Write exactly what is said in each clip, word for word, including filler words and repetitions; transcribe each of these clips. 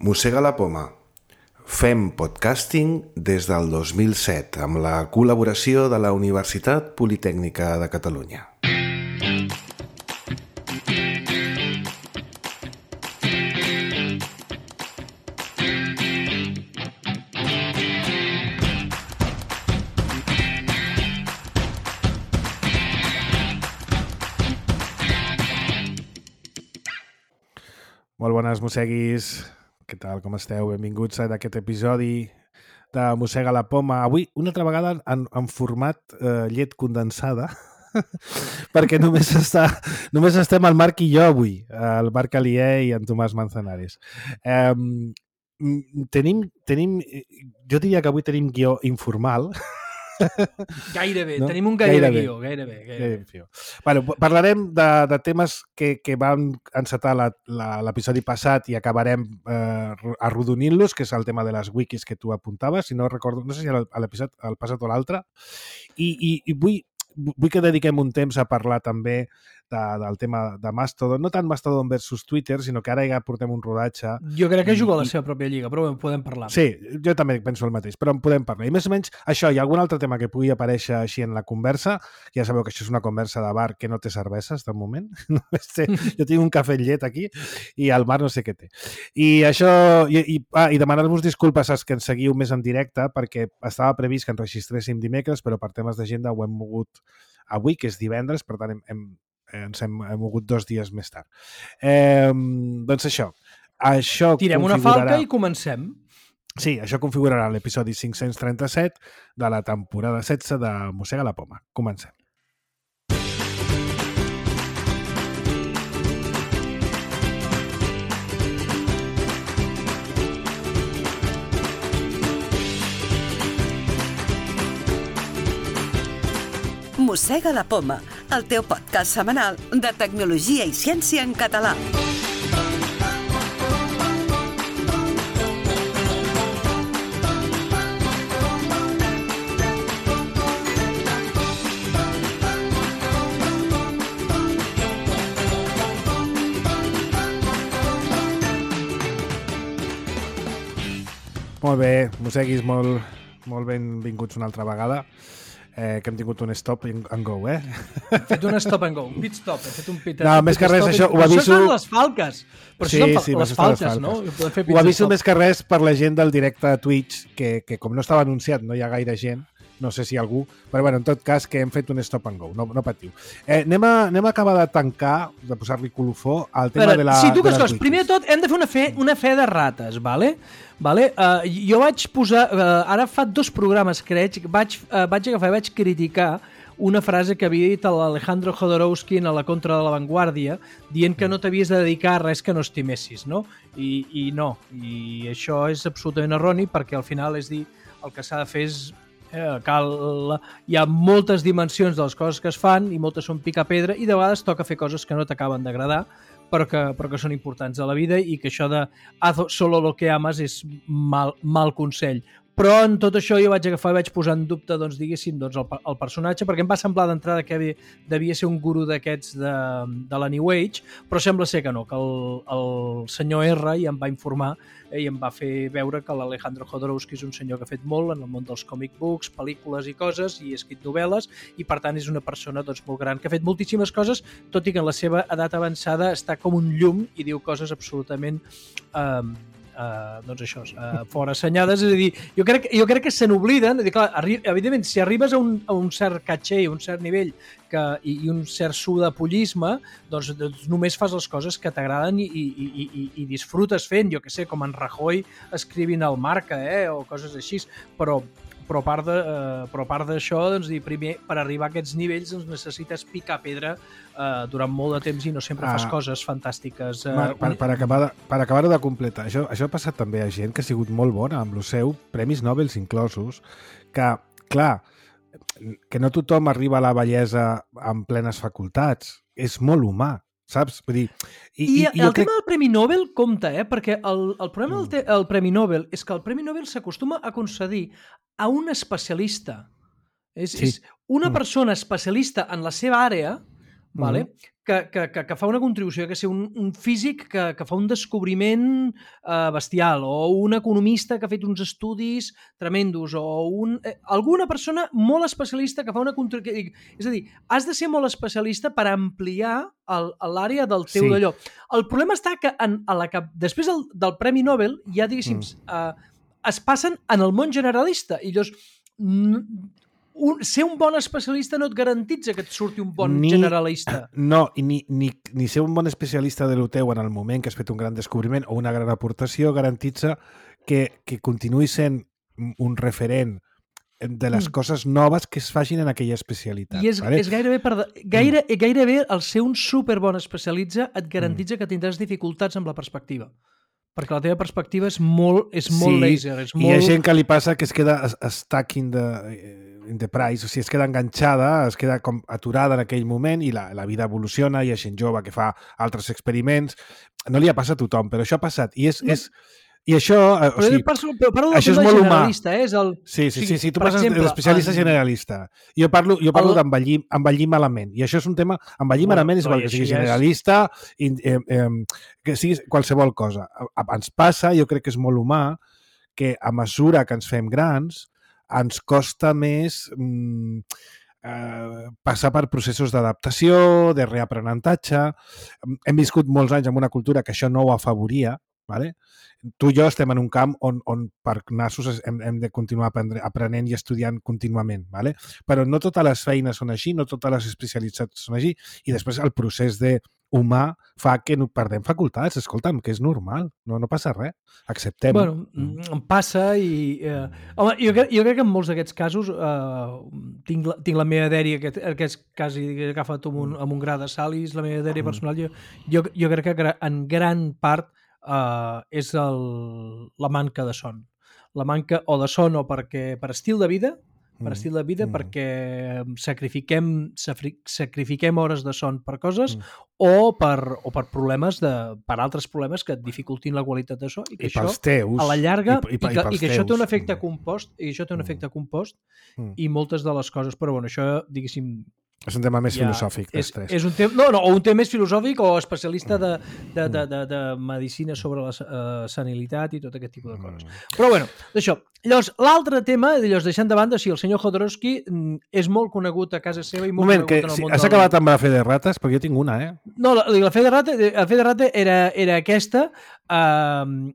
Mossega la poma. Fem podcasting des del dos mil set amb la col·laboració de la Universitat Politècnica de Catalunya. Molt bones, mosseguis. Què tal, com esteu? Benvinguts a aquest episodi de Mossega la poma. Avui, una altra vegada, en, en format eh, llet condensada, perquè només, està, només estem el Marc i jo avui, el Marc Alié i en Tomàs Manzanares. Eh, tenim, tenim, jo diria que avui tenim guió informal. Gairebé, no? tenim un gairebé, gairebé guió, gairebé. gairebé. gairebé. Bueno, parlarem de, de temes que, que van encetar l'episodi passat i acabarem eh, arrodonint-los, que és el tema de les wikis que tu apuntaves, si no recordo, no sé si a l'episodi el passat o l'altre, i, i, i vull, vull que dediquem un temps a parlar també de, del tema de Mastodon, no tant Mastodon versus Twitter, sinó que ara ja portem un rodatge. Jo crec que juga a la seva pròpia lliga, però en podem parlar. Sí, jo també penso el mateix, però en podem parlar. I més o menys això, hi ha algun altre tema que pugui aparèixer així en la conversa. Ja sabeu que això és una conversa de bar que no té cerveses, de moment. Té, jo tinc un cafè amb llet aquí i el Marc no sé què té. I això, i, i, ah, i demanar-vos disculpes als que ens seguiu més en directe, perquè estava previst que ens registréssim dimecres, però per temes d'agenda ho hem mogut avui, que és divendres, per tant hem, hem ens hem, hem mogut dos dies més tard. Eh, doncs això. això Tirem una falca i comencem. Sí, això configurarà l'episodi cinc-cents trenta-set de la temporada setze de Mossega la poma. Comencem. Mossega la poma, el teu podcast setmanal de tecnologia i ciència en català. Molt bé, mosseguis, molt, molt benvinguts una altra vegada. Eh, que hem tingut un stop and go, eh? Hem fet un stop and go, un pit stop. Hem fet un pit, no, un més pit que res, stop. això ho aviso... Això són les falques. Però sí, això són sí, les falques, no? Ho aviso més que res per la gent del directe a Twitch, que, que com no estava anunciat, no hi ha gaire gent, no sé si algú, però bueno, en tot cas que hem fet un stop and go, no, no patiu. Eh, anem, a, anem a acabar de tancar, de posar-li colofó al tema però, de la... Sí, tu que coses, primer de tot hem de fer una fe, una fe de rates, vale? Vale? Uh, jo vaig posar, uh, ara fa dos programes, crec, vaig, uh, vaig agafar i vaig criticar una frase que havia dit l'Alejandro Jodorowsky a la contra de la Vanguardia, dient que no t'havies de dedicar a res que no estimessis, no? I, i no, i això és absolutament erroni, perquè al final és dir, el que s'ha de fer és Eh, cal, hi ha moltes dimensions de les coses que es fan i moltes són picar pedra i de vegades toca fer coses que no t'acaben d'agradar però que, però que són importants a la vida i que això de haz solo lo que amas és mal, mal consell. Però en tot això jo vaig agafar i vaig posar en dubte, doncs, diguéssim, doncs, el, el personatge, perquè em va semblar d'entrada que havia, devia ser un guru d'aquests de, de la New Age, però sembla ser que no, que el, el senyor R ja em va informar eh, i em va fer veure que l'Alejandro Jodorowsky és un senyor que ha fet molt en el món dels comic books, pel·lícules i coses, i ha escrit novel·les, i per tant és una persona doncs, molt gran, que ha fet moltíssimes coses, tot i que en la seva edat avançada està com un llum i diu coses absolutament... Eh, Uh, doncs això, uh, fora assenyades, és a dir, jo crec, jo crec que se n'obliden, clar, evidentment, si arribes a un, a un cert caché, un cert nivell que, i, i un cert sudapollisme, doncs, doncs només fas les coses que t'agraden i, i, i, i, i disfrutes fent, jo que sé, com en Rajoy escrivint al Marca, eh, o coses així, però però a part de, eh, però a part d'això, doncs, primer, per arribar a aquests nivells doncs, necessites picar pedra eh, durant molt de temps i no sempre ah, fas coses fantàstiques. Eh, Mar, per, per acabar de, per acabar-ho de completar, això, això ha passat també a gent que ha sigut molt bona amb el seu, premis Nobel inclosos, que, clar, que no tothom arriba a la bellesa amb plenes facultats. És molt humà. Saps? Vull dir, i, I, i el crec... tema del Premi Nobel compta, eh? Perquè el, el problema mm. del te, el Premi Nobel és que el Premi Nobel s'acostuma a concedir a un especialista. És, sí. és una mm. persona especialista en la seva àrea, vale? Mm-hmm. que, que, que, que fa una contribució, que ser un, un físic que, que fa un descobriment eh, bestial, o un economista que ha fet uns estudis tremendos, o un, eh, alguna persona molt especialista que fa una contribució. És a dir, has de ser molt especialista per ampliar el, l'àrea del teu Sí. d'allò. El problema està que, en, a la que després del, del Premi Nobel ja, diguéssim, mm. eh, es passen en el món generalista, i llavors un, ser un bon especialista no et garantitza que et surti un bon ni, generalista. No, i ni, ni, ni ser un bon especialista de lo teu en el moment que has fet un gran descobriment o una gran aportació garantitza que, que continuï sent un referent de les mm. coses noves que es facin en aquella especialitat. I és, vale? és gairebé, per, gaire, mm. gairebé el ser un superbon especialista et garantitza mm. que tindràs dificultats amb la perspectiva. Perquè la teva perspectiva és molt, és molt sí, laser. És molt... i hi ha gent que li passa que es queda stuck in the, in the price, o sigui, es queda enganxada, es queda com aturada en aquell moment i la, la vida evoluciona, hi ha gent jove que fa altres experiments. No li ha passat a tothom, però això ha passat. I és... No. és I això, o però sigui, parlo, parlo això és molt humà. Eh? És el... Sí, sí, sí, sí, tu passes d'especialista a generalista. Jo parlo, jo parlo el... d'envellir envellir malament. I això és un tema... Envellir bueno, malament és igual no, que sigui generalista, és... eh, eh, que sigui qualsevol cosa. Ens passa, jo crec que és molt humà, que a mesura que ens fem grans, ens costa més... Mm, eh, passar per processos d'adaptació, de reaprenentatge. Hem viscut molts anys en una cultura que això no ho afavoria, vale? Tu i jo estem en un camp on, on per nassos hem, hem de continuar aprendre, aprenent i estudiant contínuament, vale? Però no totes les feines són així, no totes les especialitats són així, i després el procés de humà fa que no perdem facultats. Escolta'm, que és normal, no, no passa res, acceptem. Bueno, mm. passa i... Eh, home, jo, crec, jo crec que en molts d'aquests casos eh, tinc, la, tinc la meva dèria, que, que és quasi que he agafat amb un, amb un gra de sal, i és la meva dèria personal. Jo, jo, jo crec que en gran part Uh, és el, la manca de son. La manca o de son o perquè per estil de vida, per estil de vida mm. perquè sacrifiquem, sacrifiquem hores de son per coses mm. o, per, o per problemes de, per altres problemes que et dificultin la qualitat de so i que I això teus, a la llarga i, i, i, que, i, i que teus. això té un efecte compost i això té un efecte compost mm. i moltes de les coses, però bueno, això diguéssim és un tema més ja, filosòfic. És, és un tema, no, no, o un tema més filosòfic o especialista de, de, de, de, de medicina sobre la uh, senilitat i tot aquest tipus de coses. Mm. Però bueno, d'això. Llavors, l'altre tema, llavors, deixant de banda, sí, el senyor Jodorowsky és molt conegut a casa seva i molt moment, conegut que, en el si, món has del... acabat amb la fe de rates? Perquè jo tinc una, eh? No, la, la fe de rata, la fe de rata era, era aquesta... Uh,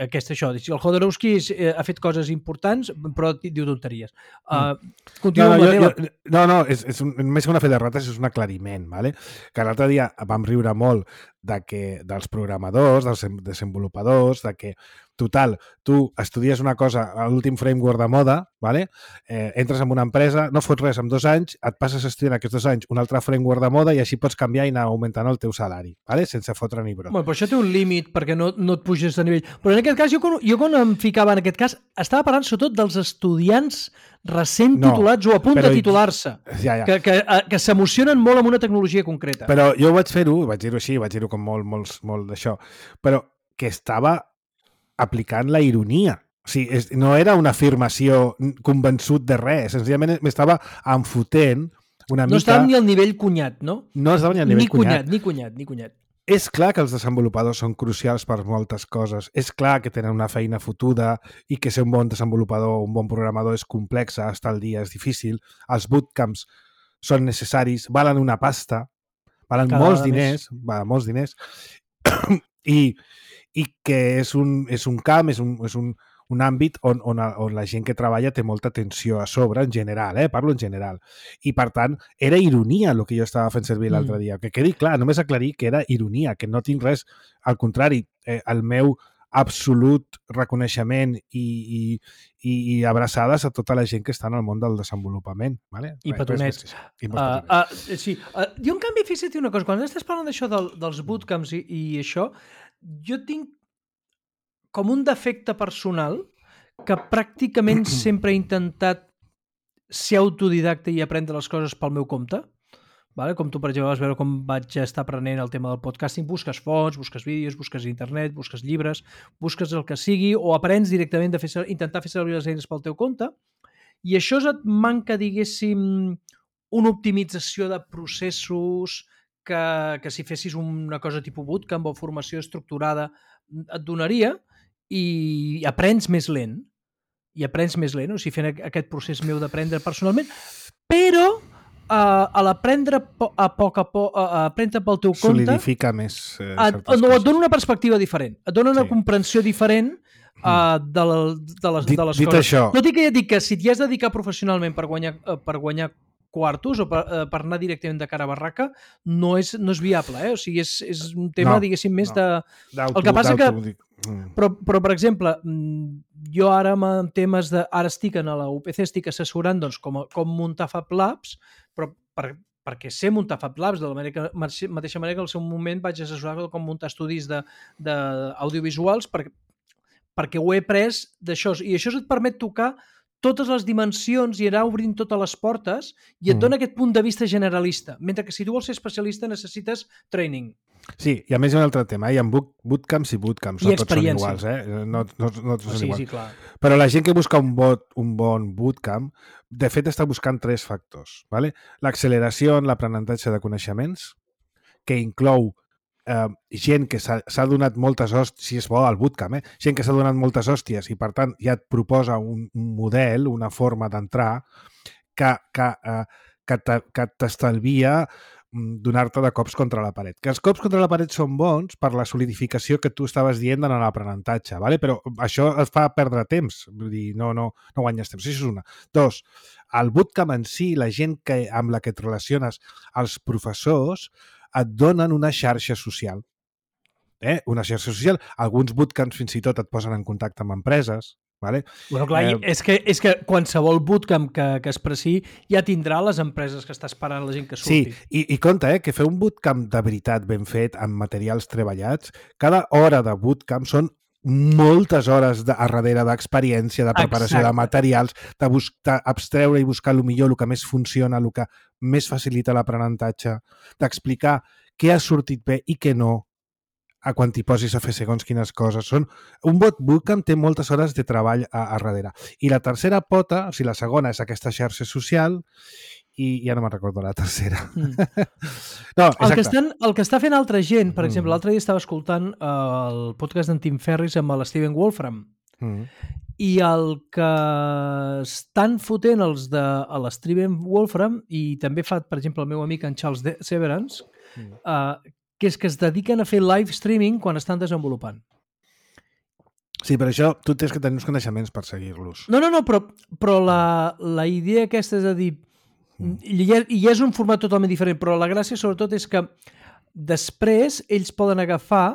aquesta, això, el Jodorowsky ha fet coses importants però diu tonteries. Uh, no, no, jo, jo, no, no, és, és un, més que una fe de rates, és un aclariment, vale? Que l'altre dia vam riure molt de que, dels programadors, dels desenvolupadors, de que, total, tu estudies una cosa a l'últim framework de moda, vale? eh, entres en una empresa, no fots res en dos anys, et passes estudiant aquests dos anys un altre framework de moda i així pots canviar i anar augmentant el teu salari, vale? Sense fotre ni brot. Bueno, però això té un límit perquè no, no et puges de nivell. Però en aquest cas, jo, jo quan em ficava en aquest cas, estava parlant sobretot dels estudiants recent no, titulats o a punt de titular-se, ja, ja. que, que, que s'emocionen molt amb una tecnologia concreta. Però jo vaig fer-ho, vaig dir-ho així, vaig dir-ho com molt, molt, molt d'això, però que estava aplicant la ironia. O sigui, és, no era una afirmació convençut de res, senzillament m'estava enfotent una mica... No estava ni al nivell cunyat, no? No estava ni al nivell ni cunyat. Ni cunyat, ni cunyat. És clar que els desenvolupadors són crucials per moltes coses. És clar que tenen una feina fotuda i que ser un bon desenvolupador o un bon programador és complex, estar al dia és difícil. Els bootcamps són necessaris, valen una pasta, valen Cada molts diners, valen molts diners, i, i que és un, és un camp, és un, és un, un àmbit on, on, on la gent que treballa té molta tensió a sobre, en general, eh? Parlo en general. I, per tant, era ironia el que jo estava fent servir l'altre mm. dia. Que quedi clar, només aclarir que era ironia, que no tinc res... Al contrari, eh, el meu absolut reconeixement i, i, i, i abraçades a tota la gent que està en el món del desenvolupament. Vale? I petonets. I uh, uh, sí. uh, jo, en canvi, fixa't una cosa, quan estàs parlant d'això del, dels bootcamps i, i això, jo tinc com un defecte personal que pràcticament sempre he intentat ser autodidacta i aprendre les coses pel meu compte. Vale? Com tu, per exemple, vas veure com vaig estar aprenent el tema del podcasting. Busques fonts, busques vídeos, busques internet, busques llibres, busques el que sigui o aprens directament de fer, intentar fer servir les eines pel teu compte i això et manca, diguéssim, una optimització de processos que, que si fessis una cosa tipus bootcamp o formació estructurada et donaria, i aprens més lent. I aprens més lent, o sigui, fent aquest procés meu d'aprendre personalment, però uh, a l'aprendre a poc a poc, a aprendre pel teu compte... Solidifica més eh, et, no, et dona una perspectiva diferent, et dona una sí. comprensió diferent uh, de, la, de, les, dit, de les dit coses. Això... Tot i que ja et dic que si t'hi has de dedicar professionalment per guanyar, per guanyar quartos o per, per anar directament de cara a barraca, no és, no és viable, eh? O sigui, és, és un tema, no, diguéssim, més no. de... El que passa que... Però, però, per exemple, jo ara amb temes de... Ara estic en la U P C, estic assessorant doncs, com, com muntar Fab Labs, però per, perquè sé muntar Fab Labs, de la manera que, mateixa manera que al seu moment vaig assessorar com muntar estudis d'audiovisuals per, perquè ho he après d'això. I això et permet tocar totes les dimensions i anar obrint totes les portes i et dona mm. aquest punt de vista generalista. Mentre que si tu vols ser especialista necessites training. Sí, i a més hi ha un altre tema. Hi ha bootcamps i bootcamps. I no tots són iguals, eh? No, no, no tots són sí, iguals. Sí, clar. Però la gent que busca un, bot, un bon bootcamp, de fet està buscant tres factors. ¿vale? L'acceleració en l'aprenentatge de coneixements, que inclou eh, gent que s'ha donat moltes hòsties, si és bo al bootcamp, eh? gent que s'ha donat moltes hòsties i per tant ja et proposa un, un model, una forma d'entrar que, que, eh, que t'estalvia donar-te de cops contra la paret. Que els cops contra la paret són bons per la solidificació que tu estaves dient en l'aprenentatge, ¿vale? Però això et fa perdre temps, vull dir, no, no, no guanyes temps. Això és una. Dos, el bootcamp en si, la gent que, amb la que et relaciones, els professors, et donen una xarxa social. Eh? Una xarxa social. Alguns bootcamps fins i tot et posen en contacte amb empreses. Vale? Bueno, clar, eh, és, que, és que qualsevol bootcamp que, que es pressi ja tindrà les empreses que està esperant la gent que surti. Sí, i, i compte, eh, que fer un bootcamp de veritat ben fet, amb materials treballats, cada hora de bootcamp són moltes hores de, a darrere d'experiència, de preparació Exacte. de materials, de buscar, abstreure i buscar el millor, el que més funciona, el que més facilita l'aprenentatge, d'explicar què ha sortit bé i què no, a quan t'hi posis a fer segons quines coses. Són... Un bot bootcamp té moltes hores de treball a, a darrere. I la tercera pota, o sigui, la segona és aquesta xarxa social i ja no me'n recordo la tercera. Mm. no, el, que estan, el que està fent altra gent, per exemple, mm. l'altre dia estava escoltant uh, el podcast d'en Tim Ferriss amb l'Steven Wolfram mm. i el que estan fotent els de l'Steven Wolfram i també fa, per exemple, el meu amic en Charles Severance, mm. uh, que és que es dediquen a fer live streaming quan estan desenvolupant. Sí, per això tu tens que tenir uns coneixements per seguir-los. No, no, no, però, però la, la idea aquesta és a dir... Mm. I, I és un format totalment diferent, però la gràcia sobretot és que després ells poden agafar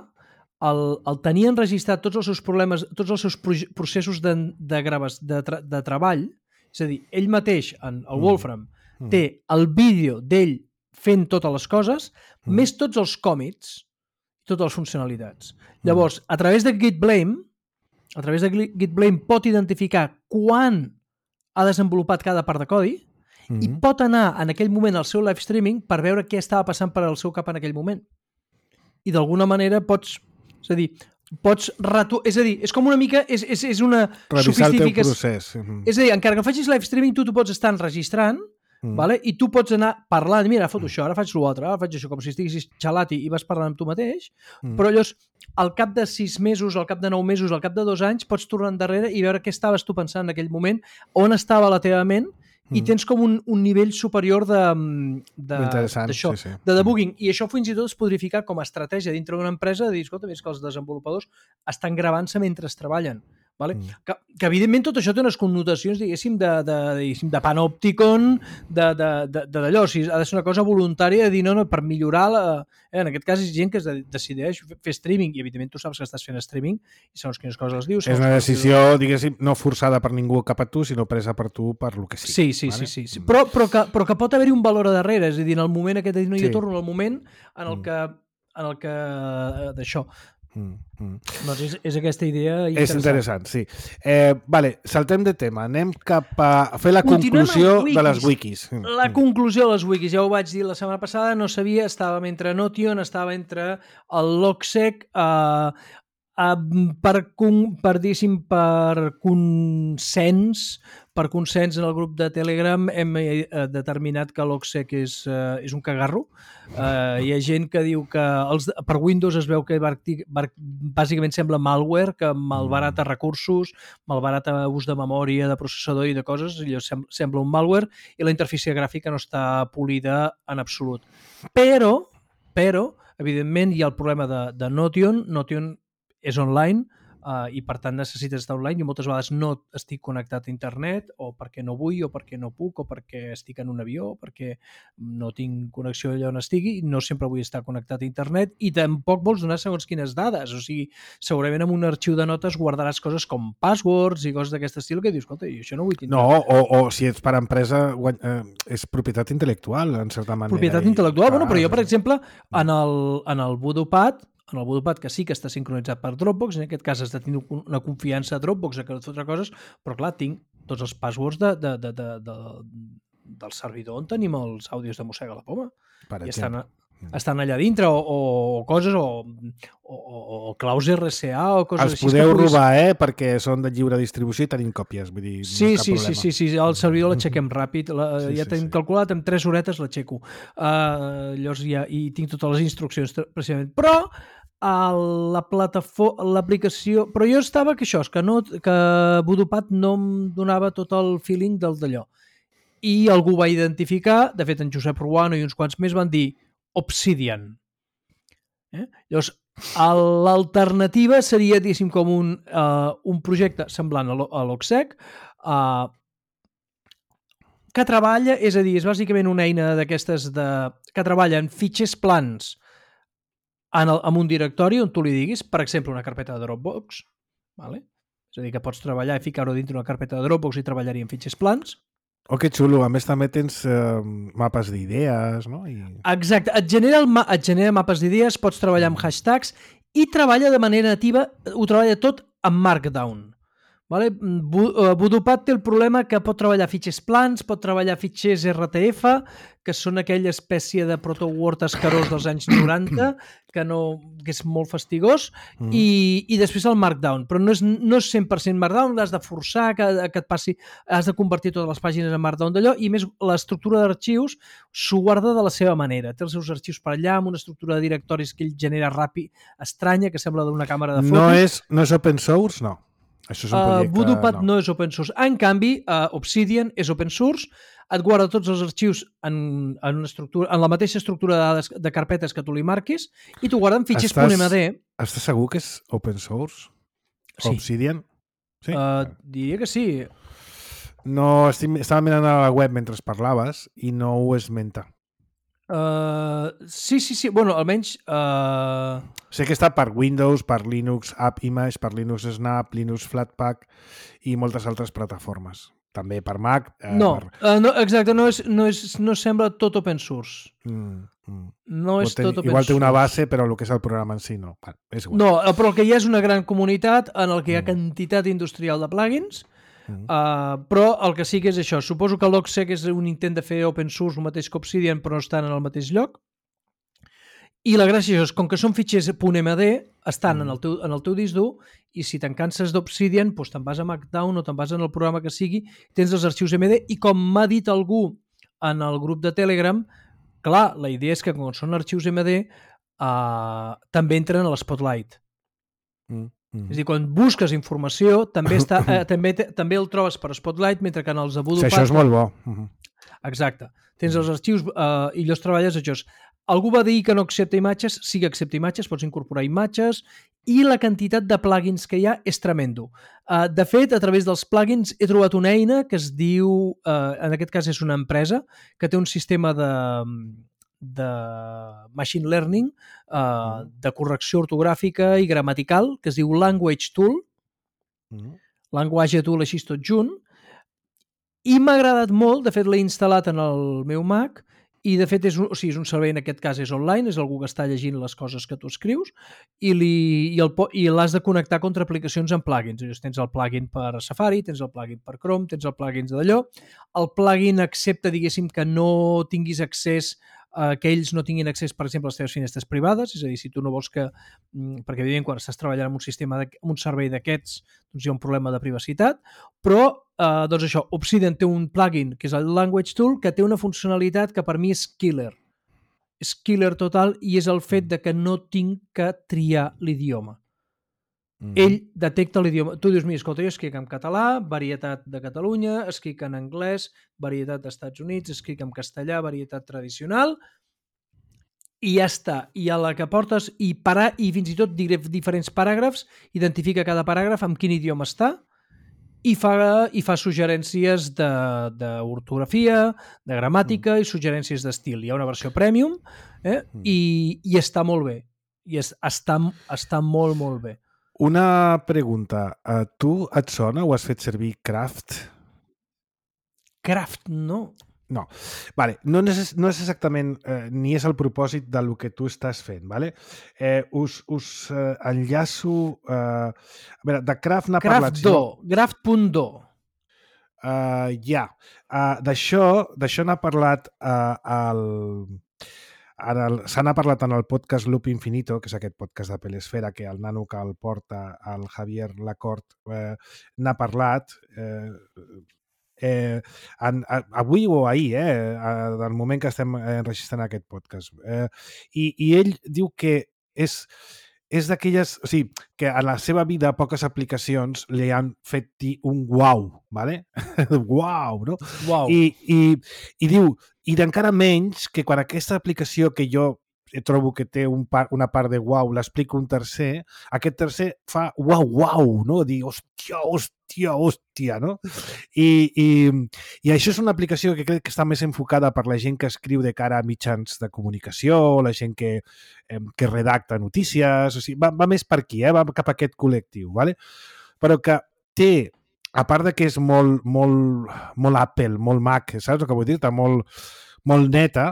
el, el tenir enregistrat tots els seus problemes, tots els seus processos de, de, graves, de, tra, de treball, és a dir, ell mateix, en el Wolfram, mm. té el vídeo d'ell fent totes les coses, mm. més tots els còmits, totes les funcionalitats. Mm. Llavors, a través de GitBlame, a través de GitBlame pot identificar quan ha desenvolupat cada part de codi mm. i pot anar en aquell moment al seu live streaming per veure què estava passant per al seu cap en aquell moment. I d'alguna manera pots, és a dir, pots retu... és a dir, és com una mica, és, és, és una revisar el teu procés. Mm. És a dir, encara que facis live streaming, tu t'ho pots estar enregistrant, Mm. Vale? I tu pots anar parlant, mira, foto això, ara faig l'altre, ara faig això, com si estiguessis xalat i vas parlant amb tu mateix, mm. però llavors, al cap de sis mesos, al cap de nou mesos, al cap de dos anys, pots tornar endarrere i veure què estaves tu pensant en aquell moment, on estava la teva ment, mm. i tens com un, un nivell superior de, de, d'això, sí, sí. de debugging. I això fins i tot es podria ficar com a estratègia dintre d'una empresa de dir, escolta, és que els desenvolupadors estan gravant-se mentre treballen. Vale? Mm. Que, que evidentment tot això té unes connotacions, diguéssim, de, de, diguéssim, de panòpticon, d'allò, o sigui, ha de ser una cosa voluntària de dir, no, no, per millorar la... Eh, en aquest cas és gent que es decideix fer streaming i evidentment tu saps que estàs fent streaming i segons quines coses les dius. És una decisió, dius... diguéssim, no forçada per ningú cap a tu, sinó presa per tu per lo que sigui. Sí, sí, vale? sí, sí, sí. Però, però, que, però que pot haver-hi un valor a darrere, és a dir, en el moment aquest de dir, no, jo sí. torno al moment en el que, en el que d'això. Mm, mm. Doncs és, és aquesta idea interessant. És interessant, sí. Eh, vale, saltem de tema. Anem cap a fer la Continuem conclusió de les wikis. La conclusió de les wikis. Ja ho vaig dir la setmana passada, no sabia, estàvem entre Notion, estava entre el Logsec, eh, Uh, per, con, per, per consens per consens en el grup de Telegram hem eh, determinat que l'Oxec és, eh, és un cagarro. Uh, hi ha gent que diu que els, per Windows es veu que bàsicament sembla malware, que malbarata recursos, malbarata ús de memòria, de processador i de coses, allò sem sembla un malware, i la interfície gràfica no està polida en absolut. Però, però evidentment, hi ha el problema de, de Notion. Notion és online uh, i per tant necessites estar online. Jo moltes vegades no estic connectat a internet, o perquè no vull, o perquè no puc, o perquè estic en un avió, o perquè no tinc connexió allà on estigui, no sempre vull estar connectat a internet, i tampoc vols donar segons quines dades. O sigui, segurament en un arxiu de notes guardaràs coses com passwords i coses d'aquest estil que dius, escolta, jo això no vull tindre. No, o, o si ets per empresa, eh, és propietat intel·lectual, en certa manera. Propietat intel·lectual, i, bueno, però jo, per exemple, en el, en el Voodoo-Pad, en el Voodoo-Pad, que sí que està sincronitzat per Dropbox, en aquest cas has de tenir una confiança a Dropbox, que no et fotrà coses, però clar, tinc tots els passwords de, de, de, de, de, del servidor on tenim els àudios de Mossega la Poma. Per I exemple. estan, estan allà dintre, o, o coses, o, o, o claus R C A, o coses Els així. Els podeu puguis... robar, eh? Perquè són de lliure distribució i tenim còpies. Vull dir, sí, no sí, sí, sí, sí, el servidor l'aixequem ràpid, la, sí, ja sí, tenim sí. calculat, en tres horetes l'aixeco. Uh, llavors ja i tinc totes les instruccions, precisament. Però la plataforma, l'aplicació... Però jo estava que això, que, no, que Voodoo-Pad no em donava tot el feeling del d'allò. I algú va identificar, de fet en Josep Ruano i uns quants més van dir Obsidian. Eh? Llavors, l'alternativa seria, diguéssim, com un, uh, un projecte semblant a l'Oxec, uh, que treballa, és a dir, és bàsicament una eina d'aquestes de, que treballa en fitxers plans en, el, en un directori on tu li diguis, per exemple, una carpeta de Dropbox, vale? És a dir, que pots treballar i ficar-ho dintre una carpeta de Dropbox i treballar-hi en fitxers plans. Oh, que xulo. A més, també tens eh, mapes d'idees, no? I... Exacte. Et genera, el ma et genera mapes d'idees, pots treballar amb hashtags i treballa de manera nativa, ho treballa tot amb Markdown. Vale? Voodoo-Pad té el problema que pot treballar fitxers plans, pot treballar fitxers R T F, que són aquella espècie de proto-Word escarós dels anys noranta, que, no, que és molt fastigós, mm. i, i després el Markdown. Però no és, no és cent per cent Markdown, l'has de forçar, que, que et passi, has de convertir totes les pàgines en Markdown d'allò, i més l'estructura d'arxius s'ho guarda de la seva manera. Té els seus arxius per allà, amb una estructura de directoris que ell genera ràpid, estranya, que sembla d'una càmera de fotos. No és, no és open source, no. Això és un projecte... Uh, Voodoo-Pad no. no és open source. En canvi, uh, Obsidian és open source, et guarda tots els arxius en, en, una estructura, en la mateixa estructura de dades de carpetes que tu li marquis i t'ho guarda en fitxers .md. Estàs segur que és open source? Sí. Obsidian? Sí? Uh, diria que sí. No, estic, estava mirant a la web mentre parlaves i no ho esmenta. Uh, sí, sí, sí. Bueno, almenys... Uh... Sé que està per Windows, per Linux App Image, per Linux Snap, Linux Flatpak i moltes altres plataformes. També per Mac. Eh, no, per... uh, no, exacte, no, és, no, és, no sembla tot open source. Mm, mm. No és ten... tot open Igual source. té una base, però el que és el programa en si no. Bueno, és igual. No, però el que hi ha és una gran comunitat en el que hi ha quantitat industrial de plugins. Mm. Uh, però el que sí que és això, suposo que l'Oxec és un intent de fer open source el mateix que Obsidian, però no estan en el mateix lloc, i la gràcia és, com que són fitxers .md, estan mm. en, el teu, en el teu disc dur, i si te'n canses d'Obsidian, doncs te'n vas a Markdown o te'n vas en el programa que sigui, tens els arxius M D, i com m'ha dit algú en el grup de Telegram, clar, la idea és que quan són arxius M D uh, també entren a l'Spotlight. Mm. Mm. És a dir, quan busques informació també, està, eh, també, també el trobes per Spotlight, mentre que en els de Voodoo-Pad... Sí, això és molt bo. Uh-huh. Exacte. Tens els arxius eh, i llavors treballes això. Algú va dir que no accepta imatges, sí que accepta imatges, pots incorporar imatges, i la quantitat de plugins que hi ha és tremendo. Uh, de fet, a través dels plugins he trobat una eina que es diu, uh, en aquest cas és una empresa, que té un sistema de... de machine learning, uh, de correcció ortogràfica i gramatical, que es diu Language Tool, mm. Language Tool així tot junt, i m'ha agradat molt, de fet l'he instal·lat en el meu Mac, i de fet és un, o sigui, és un servei, en aquest cas és online, és algú que està llegint les coses que tu escrius i, li, i, el, i l'has de connectar contra aplicacions amb plugins. Llavors, tens el plugin per Safari, tens el plugin per Chrome, tens el plugin d'allò. El plugin accepta, diguéssim, que no tinguis accés, eh, que ells no tinguin accés, per exemple, a les teves finestres privades, és a dir, si tu no vols que... Perquè, evidentment, quan estàs treballant en un sistema, de, en un servei d'aquests, doncs hi ha un problema de privacitat, però Uh, doncs això, Obsidian té un plugin que és el Language Tool que té una funcionalitat que per mi és killer. És killer total i és el fet de que no tinc que triar l'idioma. Mm. Ell detecta l'idioma. Tu dius, mira, escolta, jo escric en català, varietat de Catalunya, escric en anglès, varietat d'Estats Units, escric en castellà, varietat tradicional, i ja està. I a la que portes, i, para, i fins i tot diré diferents paràgrafs, identifica cada paràgraf amb quin idioma està, i fa, i fa suggerències d'ortografia, de, de gramàtica mm. i suggerències d'estil. Hi ha una versió premium eh? mm. i, i està molt bé. I es, està, està molt, molt bé. Una pregunta. Uh, tu et sona o has fet servir Craft? Craft, no. No, vale. no, és, no és exactament eh, ni és el propòsit del que tu estàs fent. Vale? Eh, us us eh, enllaço... Eh, a veure, de Craft n'ha parlat... Craft punt do. Uh, ja. Uh, D'això n'ha parlat uh, el... Se n'ha parlat en el podcast Loop Infinito, que és aquest podcast de Pelesfera, que el nano que el porta, el Javier Lacort, eh, n'ha parlat... Eh, Eh, en, a, avui o ahir, eh, del moment que estem enregistrant aquest podcast. Eh, i, I ell diu que és, és d'aquelles... O sigui, que a la seva vida poques aplicacions li han fet dir un uau, ¿vale? Uau, no? Uau. I, i, i diu, i d'encara menys que quan aquesta aplicació que jo trobo que té un par, una part de uau, l'explica un tercer, aquest tercer fa uau, uau, no? Dir, hòstia, hòstia, hòstia, no? I, i, I això és una aplicació que crec que està més enfocada per la gent que escriu de cara a mitjans de comunicació, la gent que, eh, que redacta notícies, o sigui, va, va més per aquí, eh? Va cap a aquest col·lectiu, ¿vale? Però que té, a part de que és molt, molt, molt Apple, molt Mac, saps el que vull dir? Està molt, molt neta,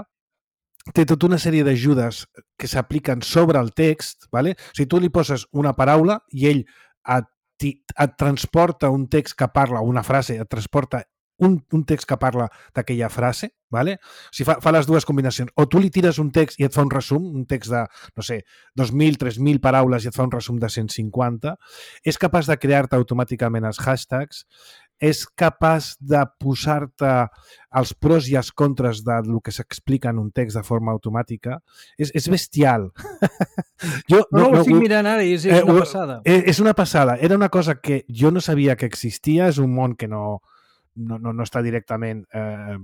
té tota una sèrie d'ajudes que s'apliquen sobre el text, ¿vale? O sigui, tu li poses una paraula i ell et, et transporta un text que parla, una frase, et transporta un, un text que parla d'aquella frase, ¿vale? O sigui, fa, fa les dues combinacions. O tu li tires un text i et fa un resum, un text de, no sé, dos mil, tres mil paraules i et fa un resum de cent cinquanta. És capaç de crear-te automàticament els hashtags, és capaç de posar-te els pros i els contres del que s'explica en un text de forma automàtica. És, és bestial. jo, no, no, no ho estic mirant ara i és, és una passada. És, és una passada. Era una cosa que jo no sabia que existia, és un món que no, no, no, no està directament eh,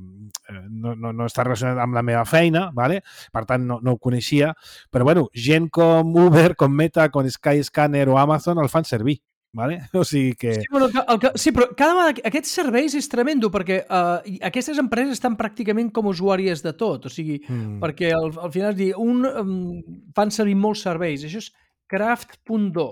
no, no, no està relacionat amb la meva feina, ¿vale? Per tant no, no ho coneixia, però bueno, gent com Uber, com Meta, com Skyscanner o Amazon el fan servir. Vale? O sigui que... Sí, bueno, el que... sí, però cada vegada aquests serveis és tremendo perquè uh, aquestes empreses estan pràcticament com usuàries de tot, o sigui, mm. perquè al, al final dir, un, um, fan servir molts serveis. Això és craft punt do.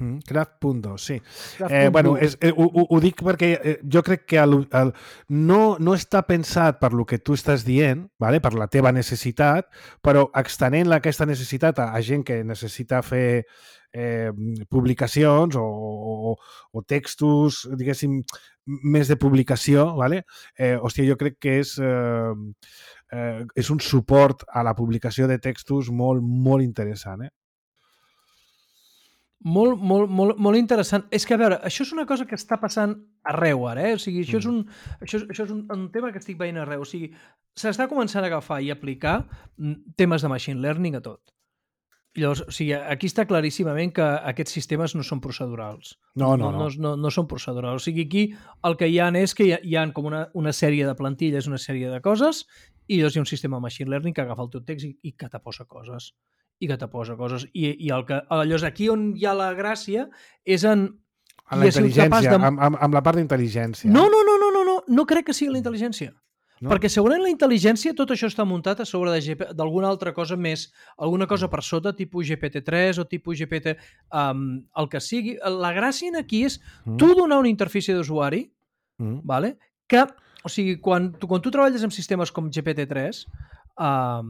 Mm, craft punt do, sí. Craft. Eh, bueno, és, eh, ho, ho dic perquè eh, jo crec que el, el, no, no està pensat per lo que tu estàs dient, vale? Per la teva necessitat, però extenent aquesta necessitat a, a gent que necessita fer Eh, publicacions o, o, o textos, diguéssim, més de publicació, ¿vale? Eh, hòstia, jo crec que és, eh, eh, és un suport a la publicació de textos molt, molt interessant, eh? Molt, molt, molt, molt interessant. És que, a veure, això és una cosa que està passant arreu ara, eh? O sigui, això mm. és, un, això, això és un, un tema que estic veient arreu. O sigui, s'està començant a agafar i aplicar temes de machine learning a tot. Llavors, o sigui, aquí està claríssimament que aquests sistemes no són procedurals. No, no, no. No, no, no són procedurals. O sigui, aquí el que hi ha és que hi ha, hi ha com una, una sèrie de plantilles, una sèrie de coses, i llavors hi ha un sistema de machine learning que agafa el teu text i, i que te posa coses. I que te posa coses. I, i el que, llavors, aquí on hi ha la gràcia és en... En la intel·ligència, de... amb, amb, amb la part d'intel·ligència. No, no, no, no, no, no, no crec que sigui la intel·ligència. No? Perquè segurament la intel·ligència, tot això està muntat a sobre d'alguna altra cosa més, alguna cosa per sota, tipus G P T tres o tipus G P T, um, el que sigui. La gràcia aquí és mm. tu donar una interfície d'usuari, mm. vale? Que, o sigui, quan tu, quan tu treballes amb sistemes com G P T tres, uh,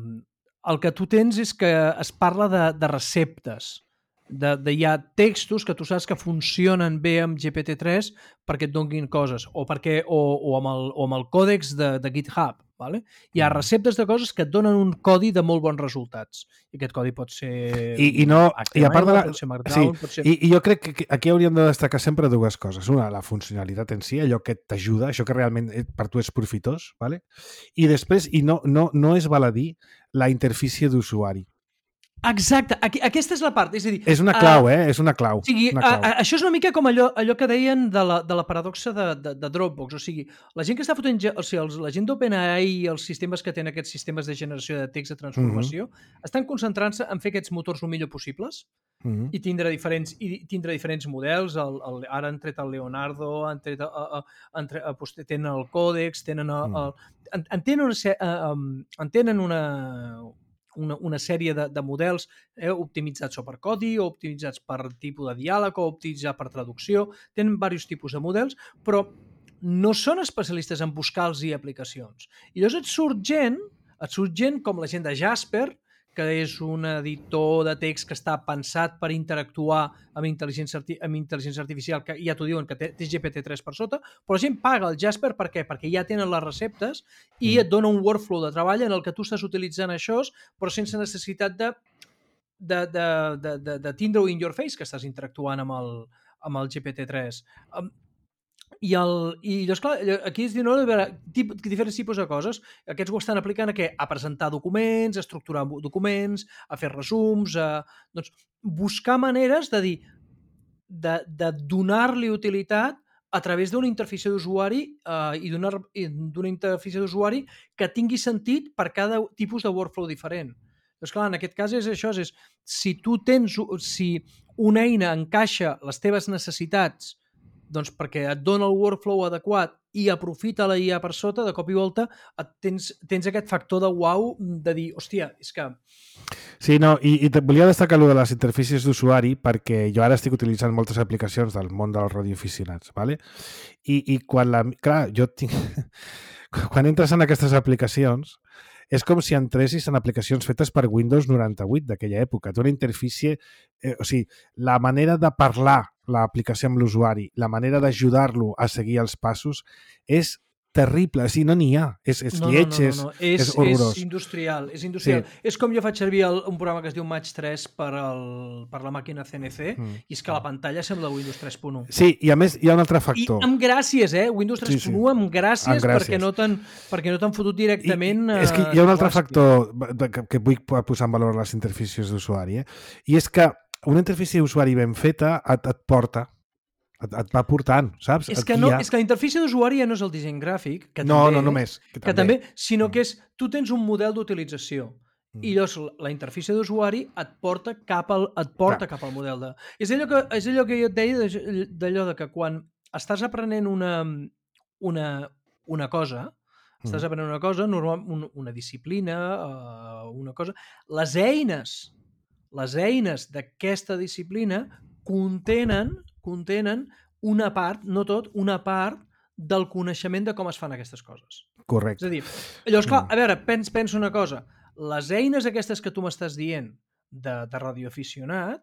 el que tu tens és que es parla de, de receptes, de, de hi ha textos que tu saps que funcionen bé amb G P T tres perquè et donguin coses, o, perquè, o, o, amb, el, o amb el còdex de, de GitHub. Vale? Hi ha receptes de coses que et donen un codi de molt bons resultats. I aquest codi pot ser I, i no, H T M L, i a part de la, pot ser Markdown, sí, pot ser... I, I jo crec que aquí hauríem de destacar sempre dues coses. Una, la funcionalitat en si, allò que t'ajuda, això que realment per tu és profitós, vale? I després, i no, no, no és baladí, la interfície d'usuari. Exacte, aquí, aquesta és la part. És a dir, és una clau, uh, eh? És una clau. O sigui, una clau. A, a, això és una mica com allò, allò que deien de la, de la paradoxa de, de, de Dropbox. O sigui, la gent que està fotent... O sigui, els, la gent d'OpenAI i els sistemes que tenen aquests sistemes de generació de text de transformació mm-hmm. estan concentrant-se en fer aquests motors el millor possibles mm-hmm. i tindre diferents, i tindre diferents models. El, el, ara han tret el Leonardo, han tret, a, a, han tret a, a, tenen el Codex, tenen, a, a, en, en tenen una... A, a, en tenen una Una, una sèrie de, de models eh, optimitzats o per codi, o optimitzats per tipus de diàleg, o optimitzats per traducció. Tenen diversos tipus de models, però no són especialistes en buscar-los i aplicacions. I llavors et surt gent, et surt gent com la gent de Jasper, que és un editor de text que està pensat per interactuar amb intel·ligència, arti amb intel·ligència artificial, que ja t'ho diuen que té, té G P T tres per sota, però la gent paga el Jasper per què? Perquè ja tenen les receptes i et dona un workflow de treball en el que tu estàs utilitzant això, però sense necessitat de, de, de, de, de, de tindre-ho in your face, que estàs interactuant amb el, amb el G P T tres. Um, I, el, i llavors, clar, aquí es diu no, tip, diferents tipus de coses. Aquests ho estan aplicant a què? A presentar documents, a estructurar documents, a fer resums, a doncs, buscar maneres de dir, de, de donar-li utilitat a través d'una interfície d'usuari eh, i d'una interfície d'usuari que tingui sentit per cada tipus de workflow diferent. Doncs clar, en aquest cas és això, és si tu tens, si una eina encaixa les teves necessitats doncs perquè et dona el workflow adequat i aprofita la I A per sota, de cop i volta et tens, tens aquest factor de uau de dir, hòstia, és que... Sí, no, i, i volia destacar allò de les interfícies d'usuari perquè jo ara estic utilitzant moltes aplicacions del món dels radioaficionats, ¿vale? I, i quan la... Clar, jo tinc... quan entres en aquestes aplicacions és com si entressis en aplicacions fetes per Windows noranta-vuit d'aquella època. Té una interfície... Eh, o sigui, la manera de parlar l'aplicació amb l'usuari, la manera d'ajudar-lo a seguir els passos és terrible. O sigui, no n'hi ha. És, és no, lleig, no, no, no, no. És, és, és horrorós. És industrial. És, industrial. Sí. És com jo faig servir el, un programa que es diu Match tres per, el, per la màquina C N C mm. i és que la pantalla sembla Windows tres punt u. Sí, i a més hi ha un altre factor. I amb gràcies, eh? Windows tres punt u sí, sí. amb gràcies, amb gràcies. perquè no t'han perquè no t'han fotut directament... I, és que hi ha un altre factor que, que vull posar en valor les interfícies d'usuari, eh? I és que una interfície d'usuari ben feta et, et porta Et, et va portant, saps? És que, no, és que la interfície d'usuari ja no és el disseny gràfic, que no, també, no només, que també, que també sinó que és, tu tens un model d'utilització mm. i llavors la interfície d'usuari et porta cap al, et porta cap al model de... És allò que, és allò que jo et deia d'allò de que quan estàs aprenent una, una, una cosa, mm. estàs aprenent una cosa, normal, un, una disciplina, uh, una cosa, les eines, les eines d'aquesta disciplina contenen contenen una part, no tot, una part del coneixement de com es fan aquestes coses. Correcte. És a dir, llavors, clar, a veure, pens, pensa una cosa. Les eines aquestes que tu m'estàs dient de, de radioaficionat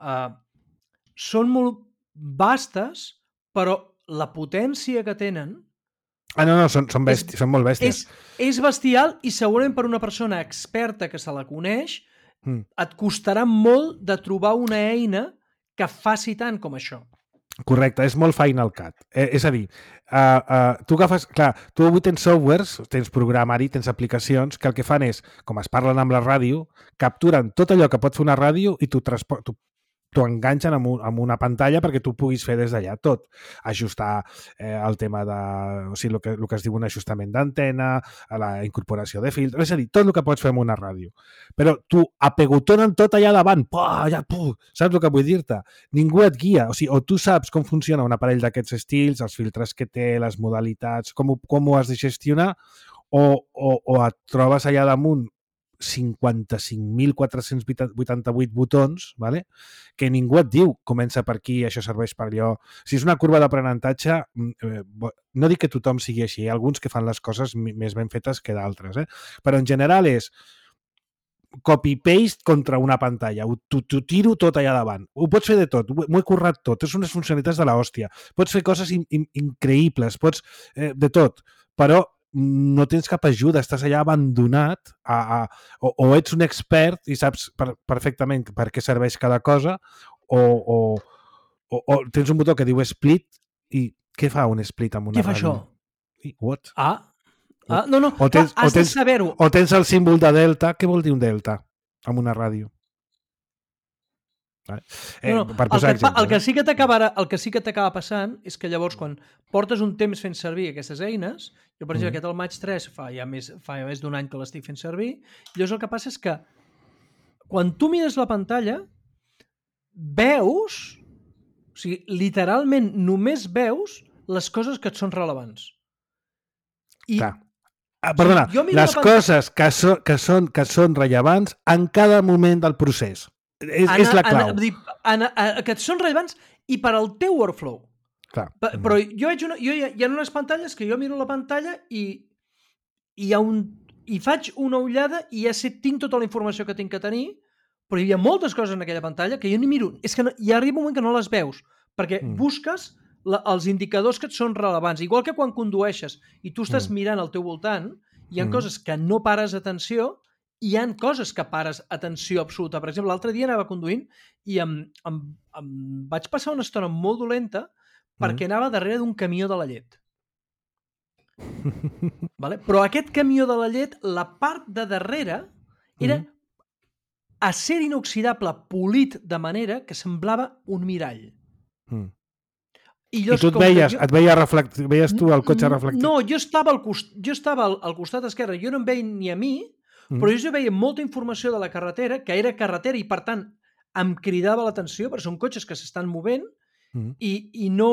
eh, són molt vastes, però la potència que tenen... Ah, no, no, són, són, bèsties, és, són molt bèsties. És, és bestial i segurament per una persona experta que se la coneix mm. et costarà molt de trobar una eina que faci tant com això. Correcte, és molt Final Cut. Eh, és a dir, uh, uh, tu agafes... Clar, tu avui tens softwares, tens programari, tens aplicacions que el que fan és, com es parlen amb la ràdio, capturen tot allò que pot fer una ràdio i t'ho transporten... t'ho enganxen amb, un, amb una pantalla perquè tu puguis fer des d'allà tot. Ajustar eh, el tema de... O sigui, el que, el que es diu un ajustament d'antena, la incorporació de filtres, és a dir, tot el que pots fer amb una ràdio. Però tu apegotonen tot allà davant, puh, allà, puh, saps el que vull dir-te? Ningú et guia, o sigui, o tu saps com funciona un aparell d'aquests estils, els filtres que té, les modalitats, com ho, com ho has de gestionar, o, o, o et trobes allà damunt cinquanta-cinc mil quatre-cents vuitanta-vuit botons, vale? Que ningú et diu comença per aquí, això serveix per allò. Si és una curva d'aprenentatge, eh, no dic que tothom sigui així, hi ha alguns que fan les coses més ben fetes que d'altres, eh? Però en general és copy-paste contra una pantalla. T'ho tiro tot allà davant. Ho pots fer de tot. M'ho he currat tot. És unes funcionalitats de l'hòstia. Pots fer coses in in increïbles. Pots... Eh, de tot. Però no tens cap ajuda. Estàs allà abandonat a, a, o, o ets un expert i saps per, perfectament per què serveix cada cosa o, o, o, o tens un botó que diu split i què fa un split amb una què fa ràdio? això? I, what? Ah, Ah, no, no, o tens, has o tens, de saber-ho. O tens el símbol de delta. Què vol dir un delta amb una ràdio? Eh, no, no, per posar el, que, exemple, el, que sí que t'acaba el que sí que t'acaba passant és que llavors quan portes un temps fent servir aquestes eines, jo per exemple mm. aquest el Match tres fa ja més, fa ja més d'un any que l'estic fent servir, i llavors el que passa és que quan tu mires la pantalla veus, o sigui, literalment només veus les coses que et són rellevants. I Clar. Ah, perdona, les coses que, so, que, són, que són rellevants en cada moment del procés. És, ana, és la clau. Ana, ana, ana, que et són rellevants i per al teu workflow. Clar. Pa, però jo, veig una, jo hi, ha, hi ha unes pantalles que jo miro la pantalla i, i, hi ha un, i faig una ullada i ja sé, tinc tota la informació que tinc que tenir, però hi ha moltes coses en aquella pantalla que jo ni miro. És que no, hi arriba un moment que no les veus, perquè mm. busques La, els indicadors que et són rellevants. Igual que quan condueixes i tu estàs mm. mirant al teu voltant, hi ha mm. coses que no pares atenció i hi ha coses que pares atenció absoluta. Per exemple, l'altre dia anava conduint i em, em, em vaig passar una estona molt dolenta perquè mm. anava darrere d'un camió de la llet. Vale? Però aquest camió de la llet, la part de darrere era mm. acer inoxidable polit de manera que semblava un mirall. Mm. I, I tu et veies, jo... et veia reflect... veies tu el cotxe reflectit? No, jo estava al, cost... jo estava al, al costat esquerre, jo no em veia ni a mi, mm. però jo veia molta informació de la carretera, que era carretera i per tant em cridava l'atenció, perquè són cotxes que s'estan movent mm. i, i no...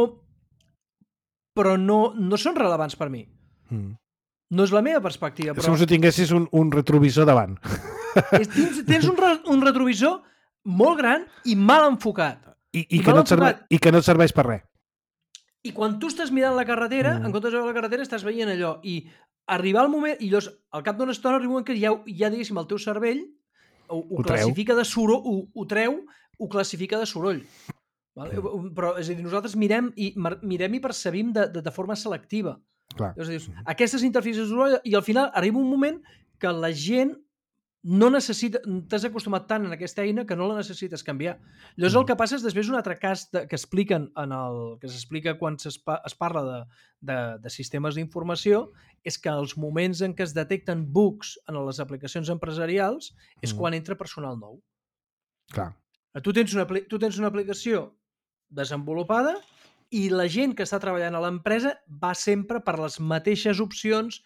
però no, no són rellevants per mi. Mm. No és la meva perspectiva. Però... És com si tinguessis un, un retrovisor davant. És, tens, tens un, re, un retrovisor molt gran i mal enfocat. I, i, I, que, no serveix, I que no et serveix per res. I quan tu estàs mirant la carretera, mm. en comptes de veure la carretera, estàs veient allò. I arribar al moment, i llavors, al cap d'una estona, arriba un moment que ja, ja diguéssim, el teu cervell ho, ho, ho classifica de soroll, ho, ho treu, ho classifica de soroll. Vale? Mm. Però, és a dir, nosaltres mirem i, mirem i percebim de, de, de forma selectiva. Clar. Llavors, dius, mm. aquestes interfícies de soroll, i al final arriba un moment que la gent no necessita, t'has acostumat tant en aquesta eina que no la necessites canviar. Llavors mm. el que passa és després un altre cas de, que expliquen en el, que s'explica quan es, es parla de, de, de sistemes d'informació és que els moments en què es detecten bugs en les aplicacions empresarials és mm. quan entra personal nou. Clar. Tu tens, una, tu tens una aplicació desenvolupada i la gent que està treballant a l'empresa va sempre per les mateixes opcions,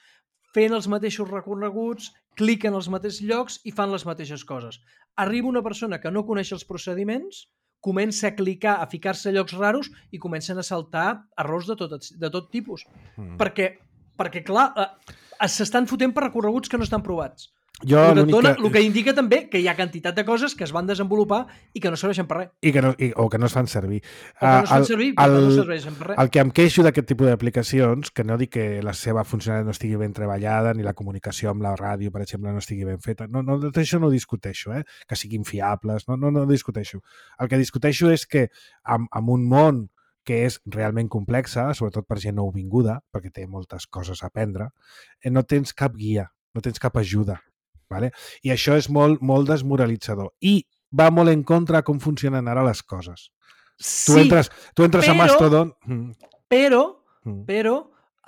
fent els mateixos recorreguts, cliquen als mateixos llocs i fan les mateixes coses. Arriba una persona que no coneix els procediments, comença a clicar, a ficar-se a llocs raros i comencen a saltar errors de tot, de tot tipus. Mm. Perquè, perquè, clar, eh, s'estan fotent per recorreguts que no estan provats. Jo, el, que dona, el que indica també que hi ha quantitat de coses que es van desenvolupar i que no serveixen per res. I que no, i, o que no es fan servir. O que no es fan servir, uh, el, que no serveixen per res. El que em queixo d'aquest tipus d'aplicacions, que no dic que la seva funcionalitat no estigui ben treballada, ni la comunicació amb la ràdio, per exemple, no estigui ben feta. No, no, això no ho discuteixo, eh? Que siguin fiables, no, no, no discuteixo. El que discuteixo és que amb, amb un món que és realment complexa, sobretot per gent nouvinguda, perquè té moltes coses a aprendre, eh, no tens cap guia, no tens cap ajuda. Vale? I això és molt, molt desmoralitzador. I va molt en contra com funcionen ara les coses. Sí, tu entres, tu entres però, a Mastodon... Però, però,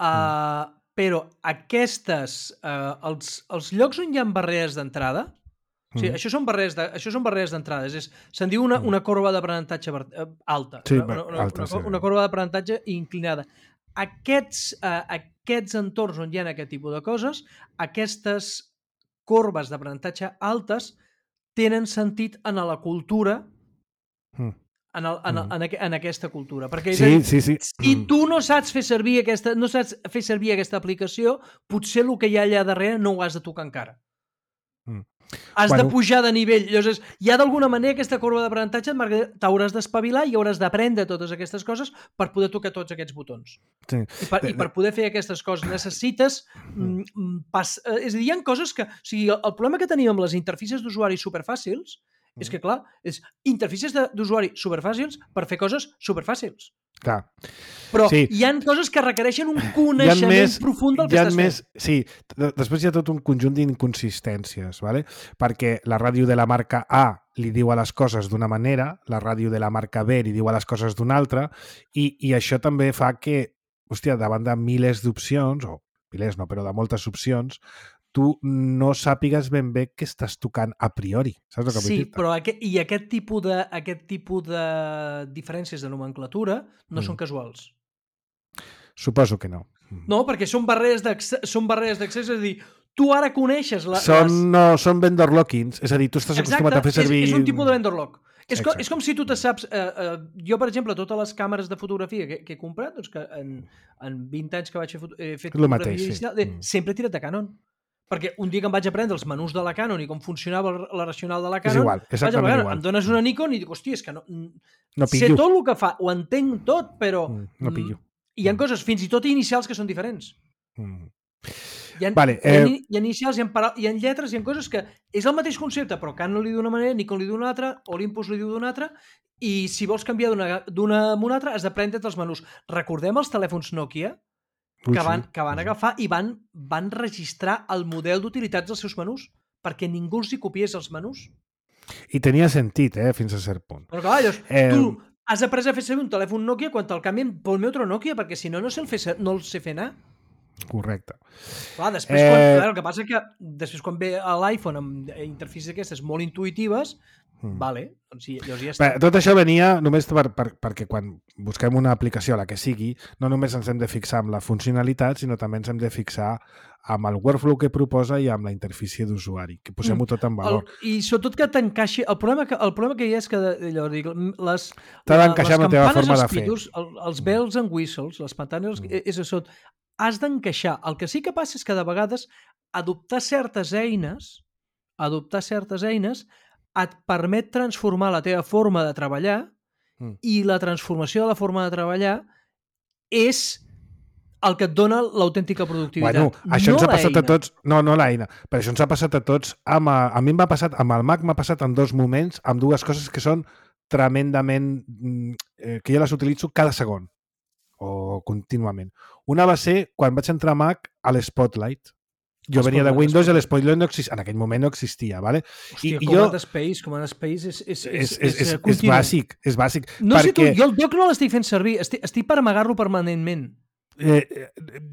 uh, però aquestes... Uh, els, els llocs on hi ha barreres d'entrada, o sigui, mm. això són barreres de, això són barreres d'entrada, és, se'n diu una, una corba d'aprenentatge alta, sí, una, una, alta, una, sí. una corba d'aprenentatge inclinada. Aquests, uh, aquests entorns on hi ha aquest tipus de coses, aquestes corbes d'aprenentatge altes tenen sentit en la cultura, mm. en, el, en, mm. en, en aquesta cultura. Perquè sí, dir, sí, sí. si mm. tu no saps fer servir aquesta, no saps fer servir aquesta aplicació, potser el que hi ha allà darrere no ho has de tocar encara. Mm. Has Bueno. de pujar de nivell. Llavors, ja d'alguna manera aquesta corba d'aprenentatge t'hauràs d'espavilar i hauràs d'aprendre totes aquestes coses per poder tocar tots aquests botons. Sí. I per, I per poder fer aquestes coses necessites... Mm, pas, eh, és a dir, hi ha coses que... O sigui, el, el problema que tenim amb les interfícies d'usuari superfàcils és que, clar, és interfícies d'usuari superfàcils per fer coses superfàcils. Clar. Però sí. hi ha coses que requereixen un coneixement més, profund del que estàs més, fent. Sí, després hi ha tot un conjunt d'inconsistències, ¿vale? Perquè la ràdio de la marca A li diu a les coses d'una manera, la ràdio de la marca B li diu a les coses d'una altra, i, i això també fa que, hòstia, davant de milers d'opcions, o milers no, però de moltes opcions, tu no sàpigues ben bé què estàs tocant a priori. Saps el que sí, vull dir? Però aquest, i aquest tipus, de, aquest tipus de diferències de nomenclatura no mm. són casuals. Suposo que no. No, perquè són barreres d'accés, són barreres d'accés, és a dir, tu ara coneixes... La, són, les... no, són vendor lockings, és a dir, tu estàs Exacte, acostumat a fer servir... És, és un tipus de vendor lock. És com, és com si tu te saps... Eh, eh, jo, per exemple, totes les càmeres de fotografia que, que he comprat, doncs que en, en vint anys que vaig fer, he fet Lo fotografia mateix, digital, sí. eh, sempre he tirat de Canon. Perquè un dia que em vaig aprendre els menús de la Canon i com funcionava la racional de la Canon, és igual, exactament vaig, igual. Em dones una Nikon i dic, hòstia, és que no... No sé tot el que fa, ho entenc tot, però... No pillo. Hi ha coses, fins i tot inicials, que són diferents. Mm. Hi ha, vale, hi, ha, eh... hi ha inicials, hi ha, para... hi ha lletres, hi ha coses que és el mateix concepte, però Canon li diu d'una manera, Nikon li diu d'una altra, Olympus li diu d'una altra, i si vols canviar d'una a una altra, has de prendre els menús. Recordem els telèfons Nokia, que van, que van agafar i van, van registrar el model d'utilitats dels seus menús, perquè ningú els hi copiés els menús. I tenia sentit, eh, fins a cert punt. Però clar, llavors, eh... tu has après a fer servir un telèfon Nokia quan te'l canvien pel meu otro Nokia, perquè si no, no, sé el, fer, no el sé fer anar. Correcte. Clar, després, eh... quan, clar, el que passa és que després quan ve a l'iPhone amb interfícies aquestes molt intuïtives, mm. vale, doncs sí, llavors ja està. Bé, tot això venia només per, per, perquè quan busquem una aplicació, la que sigui, no només ens hem de fixar amb la funcionalitat, sinó també ens hem de fixar amb el workflow que proposa i amb la interfície d'usuari, que posem-ho tot en valor. El, I sobretot que t'encaixi... El problema que, el problema que hi ha és que allò, dic, les, t'ha d'encaixar amb la teva forma de fer. Pitos, el, els bells and whistles, les pantalles, mm. és això, has d'encaixar. El que sí que passa és que de vegades adoptar certes eines, adoptar certes eines et permet transformar la teva forma de treballar mm. i la transformació de la forma de treballar és el que et dona l'autèntica productivitat. Bueno, això no ens ha passat eina. a tots... No, no l'eina. Però això ens ha passat a tots... Amb, a mi m'ha passat... Amb el Mac m'ha passat en dos moments, amb dues coses que són tremendament... Eh, que jo les utilitzo cada segon. O contínuament. Una va ser quan vaig entrar a Mac a l'Spotlight. Jo venia de Windows i l'Spotlight no existia. En aquell moment no existia, ¿vale? Hòstia, I, Command jo... Space, Command Space és, és, és, és, és, és, és, és bàsic, és bàsic. No perquè... sé tu, jo el doc no l'estic fent servir, estic, estic per amagar-lo permanentment. Eh,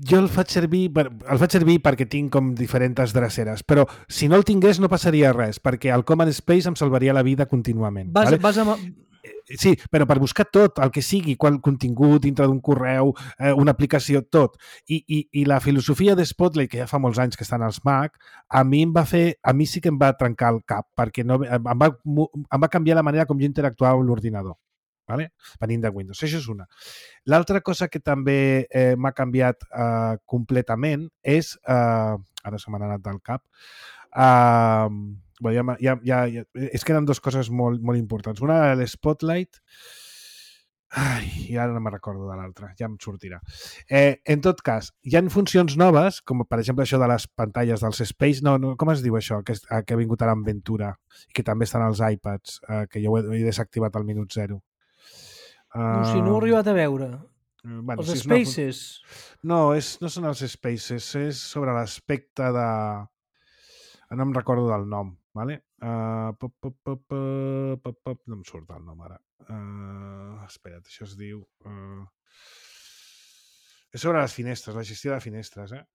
jo el faig servir per, el faig servir perquè tinc com diferents dreceres, però si no el tingués no passaria res, perquè el Command Space em salvaria la vida contínuament. Vas, vale? vas amb... Sí, però per buscar tot, el que sigui, qual contingut dintre d'un correu, eh, una aplicació, tot. I, i, i la filosofia de Spotlight, que ja fa molts anys que estan als Mac, a mi em va fer, a mi sí que em va trencar el cap, perquè no, em, va, em va canviar la manera com jo interactuava amb l'ordinador. Vale? Venint de Windows. Això és una. L'altra cosa que també eh, m'ha canviat eh, completament és... Eh, ara se m'ha anat del cap. Eh, bueno, ja, ja, ja, és que eren dues coses molt, molt importants. Una era l'Spotlight... Ai, i ara no me'n recordo de l'altra. Ja em sortirà. Eh, en tot cas, hi ha funcions noves, com per exemple això de les pantalles dels Space... No, no, com es diu això? Que, que ha vingut ara amb Ventura i que també estan als iPads, eh, que jo ho he, he desactivat al minut zero. No, si no ho he arribat a veure. Uh, bueno, els si Spaces. No, no, és, no són els Spaces, és sobre l'aspecte de... No em recordo del nom, vale? Uh, pop, pop, pop, pop, pop, no em surt el nom ara. Uh, espera't, això es diu... Uh... És sobre les finestres, la gestió de finestres, eh?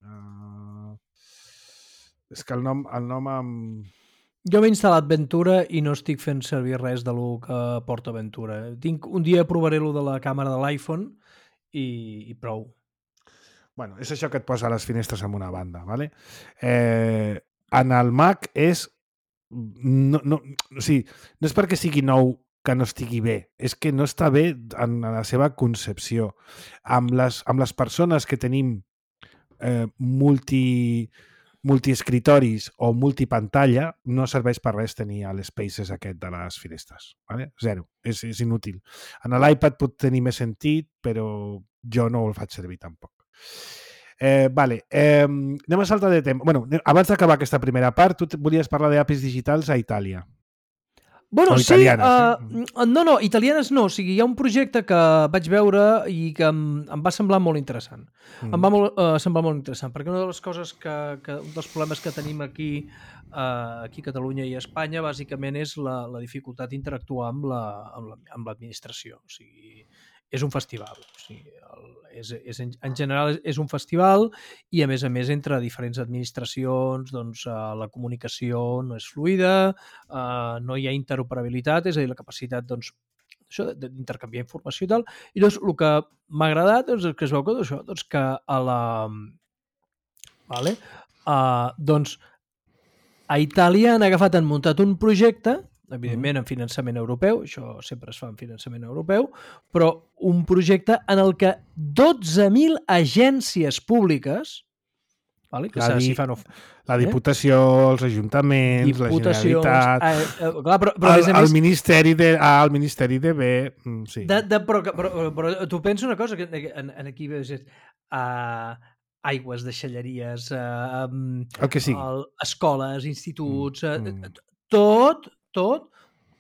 Uh... És que el nom, el nom amb... Jo m'he instal·lat Ventura i no estic fent servir res de lo que porta Ventura. Tinc, un dia provaré lo de la càmera de l'iPhone i, i prou. Bueno, és això que et posa les finestres en una banda, ¿vale? Eh, en el Mac és... No, no, o sigui, no és perquè sigui nou que no estigui bé, és que no està bé en la seva concepció. Amb les, amb les persones que tenim eh, multi... multiescritoris o multipantalla, no serveix per res tenir l'Spaces aquest de les finestres. Vale? Zero. És, és inútil. En l'iPad pot tenir més sentit, però jo no el faig servir tampoc. Eh, vale. Eh, anem a saltar de tema. Bueno, abans d'acabar aquesta primera part, tu volies parlar d'A P Is digitals a Itàlia. Bueno, o sí, italianes, uh, eh? no, no, italianes no. O sigui, hi ha un projecte que vaig veure i que em, em va semblar molt interessant. Mm. Em va molt, uh, semblar molt interessant, perquè una de les coses que, que un dels problemes que tenim aquí, uh, aquí a Catalunya i a Espanya, bàsicament és la, la dificultat d'interactuar amb la, amb la, amb l'administració. O sigui, és un festival. O sigui, el, és, és, en general és un festival i, a més a més, entre diferents administracions doncs, uh, la comunicació no és fluida, uh, no hi ha interoperabilitat, és a dir, la capacitat doncs, això d'intercanviar informació i tal. I doncs el que m'ha agradat doncs, és que es veu que, això, doncs, que a la... Vale? Uh, doncs a Itàlia han agafat, han muntat un projecte, evidentment en finançament europeu, això sempre es fa en finançament europeu, però un projecte en el que dotze mil agències públiques, vale, que la, di, si fan, la Diputació, eh? els ajuntaments, la Generalitat, eh, eh, clar, però, però, el, a més, el, Ministeri de, ah, el Ministeri de B... Sí. De, de, però, però, però tu pensa una cosa, que en, en aquí veus uh, aigües, deixalleries, uh, el que sigui. El, escoles, instituts, uh, mm. tot, tot,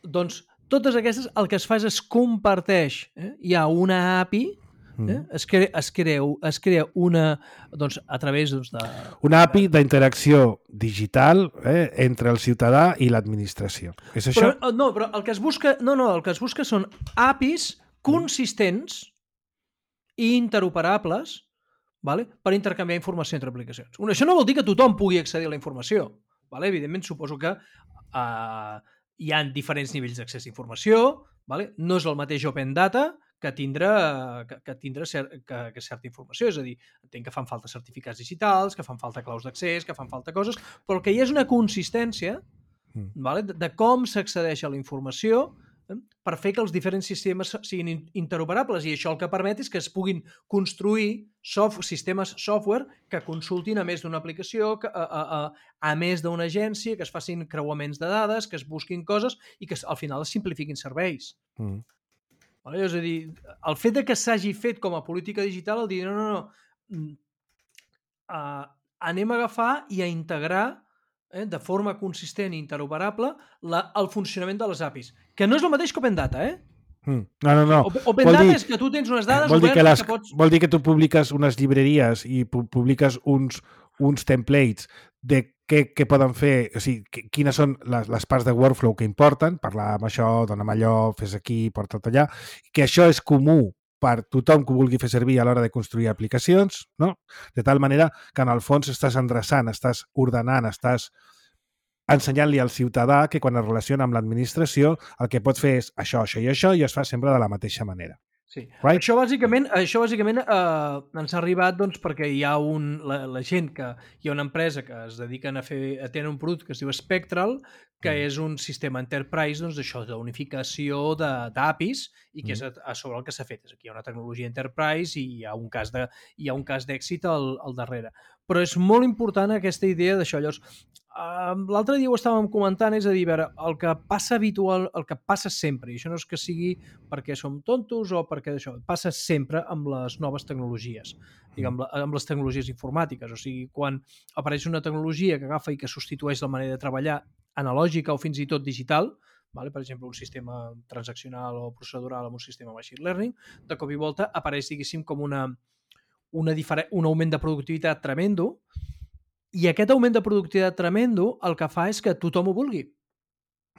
doncs totes aquestes, el que es fa és es comparteix. Eh? Hi ha una A P I, eh? es, crea, es, crea, es crea una, doncs, a través doncs, de... Una A P I d'interacció digital eh, entre el ciutadà i l'administració. És això? Però, no, però el que es busca, no, no, el que es busca són A P Is consistents i interoperables, vale? Per intercanviar informació entre aplicacions. Això no vol dir que tothom pugui accedir a la informació. Vale? Evidentment, suposo que uh, hi ha diferents nivells d'accés a informació, vale? No és el mateix Open Data que tindre, que, que tindre cert, que, que certa informació. És a dir, entenc que fan falta certificats digitals, que fan falta claus d'accés, que fan falta coses, però que hi és una consistència mm. vale? de, de com s'accedeix a la informació per fer que els diferents sistemes siguin interoperables, i això el que permet és que es puguin construir soft, sistemes software que consultin a més d'una aplicació, que, a, a, a, a més d'una agència, que es facin creuaments de dades, que es busquin coses i que al final es simplifiquin serveis. Mm. Vale? És a dir, el fet de que s'hagi fet com a política digital, el dir, no, no, no, uh, anem a agafar i a integrar Eh, de forma consistent i interoperable la, el funcionament de les A P Is. Que no és el mateix que Open Data, eh? Mm. No, no, no. Open, Open Data dir, és que tu tens unes dades vol dir que, les, que pots... vol dir que tu publiques unes llibreries i pu publiques uns, uns templates de què, què poden fer, o sigui, quines són les, les parts de workflow que importen, parlar amb això, donar amb allò, fes aquí, porta't allà, que això és comú per tothom que ho vulgui fer servir a l'hora de construir aplicacions, no? De tal manera que en el fons estàs endreçant, estàs ordenant, estàs ensenyant-li al ciutadà que quan es relaciona amb l'administració el que pot fer és això, això i això, i es fa sempre de la mateixa manera. Sí. Right? Això bàsicament, això bàsicament eh, ens ha arribat doncs, perquè hi ha un, la, la gent que hi ha una empresa que es dediquen a fer, a tenir un producte que es diu Spectral, que mm. és un sistema enterprise doncs, d'això, d'unificació d'A P Is i que mm. és a, a sobre el que s'ha fet. És aquí hi ha una tecnologia enterprise i hi ha un cas de, hi ha un cas d'èxit al, al darrere. Però és molt important aquesta idea d'això. Llavors, uh, l'altre dia ho estàvem comentant, és a dir, a veure, el que passa habitual, el que passa sempre, i això no és que sigui perquè som tontos o perquè això, passa sempre amb les noves tecnologies, diguem, amb les tecnologies informàtiques. O sigui, quan apareix una tecnologia que agafa i que substitueix la manera de treballar analògica o fins i tot digital, vale? Per exemple, un sistema transaccional o procedural amb un sistema machine learning, de cop i volta apareix, diguéssim, com una, una un augment de productivitat tremendo, i aquest augment de productivitat tremendo el que fa és que tothom ho vulgui.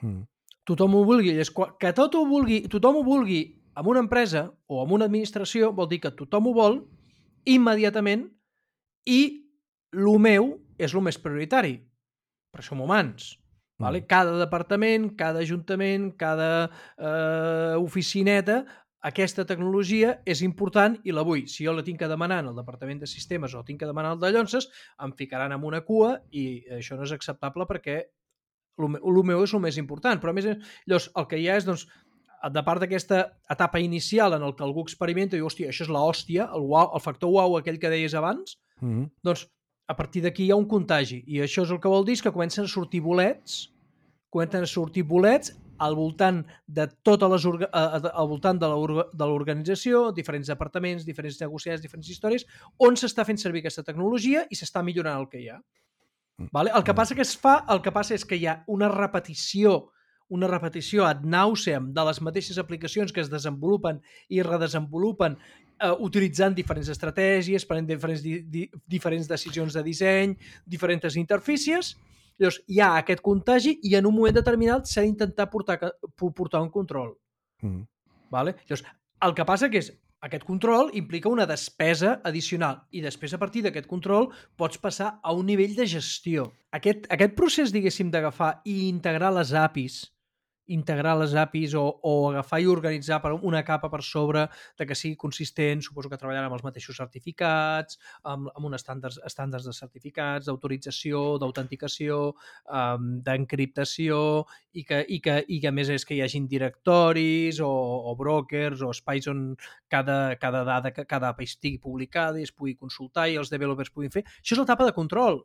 Mm. Tothom ho vulgui. És que tot ho vulgui, tothom ho vulgui amb una empresa o amb una administració vol dir que tothom ho vol immediatament i el meu és el més prioritari. Però som humans. Mm. Vale? Cada departament, cada ajuntament, cada eh, oficineta, aquesta tecnologia és important i la vull. Si jo la tinc que demanar en el departament de sistemes o tinc que demanar el de llonces, em ficaran en una cua i això no és acceptable perquè el meu és el més important. Però a més, llavors, el que hi ha és, doncs, de part d'aquesta etapa inicial en el que algú experimenta i diu, hòstia, això és l'hòstia, el, wow, el factor uau aquell que deies abans, mm-hmm. doncs a partir d'aquí hi ha un contagi. I això és el que vol dir és que comencen a sortir bolets, comencen a sortir bolets al voltant de totes les orga, al voltant de l'organització, diferents departaments, diferents negociats, diferents històries, on s'està fent servir aquesta tecnologia i s'està millorant el que hi ha. Vale? El que passa que es fa, el que passa és que hi ha una repetició, una repetició ad nauseam de les mateixes aplicacions que es desenvolupen i redesenvolupen eh, utilitzant diferents estratègies, prenent diferents, di, di, diferents decisions de disseny, diferents interfícies. Llavors, hi ha aquest contagi i en un moment determinat s'ha d'intentar portar, portar un control. Mm. Vale? Llavors, el que passa que és aquest control implica una despesa addicional i després a partir d'aquest control pots passar a un nivell de gestió. Aquest, aquest procés, diguéssim, d'agafar i integrar les A P Is integrar les A P Is o, o agafar i organitzar per una capa per sobre de que sigui consistent, suposo que treballant amb els mateixos certificats, amb, amb uns estàndards, estàndards de certificats, d'autorització, d'autenticació, um, d'encriptació i que, i, que, i que a més és que hi hagin directoris o, o brokers o espais on cada, cada dada, cada A P I estigui publicada i es pugui consultar i els developers puguin fer. Això és l'etapa de control.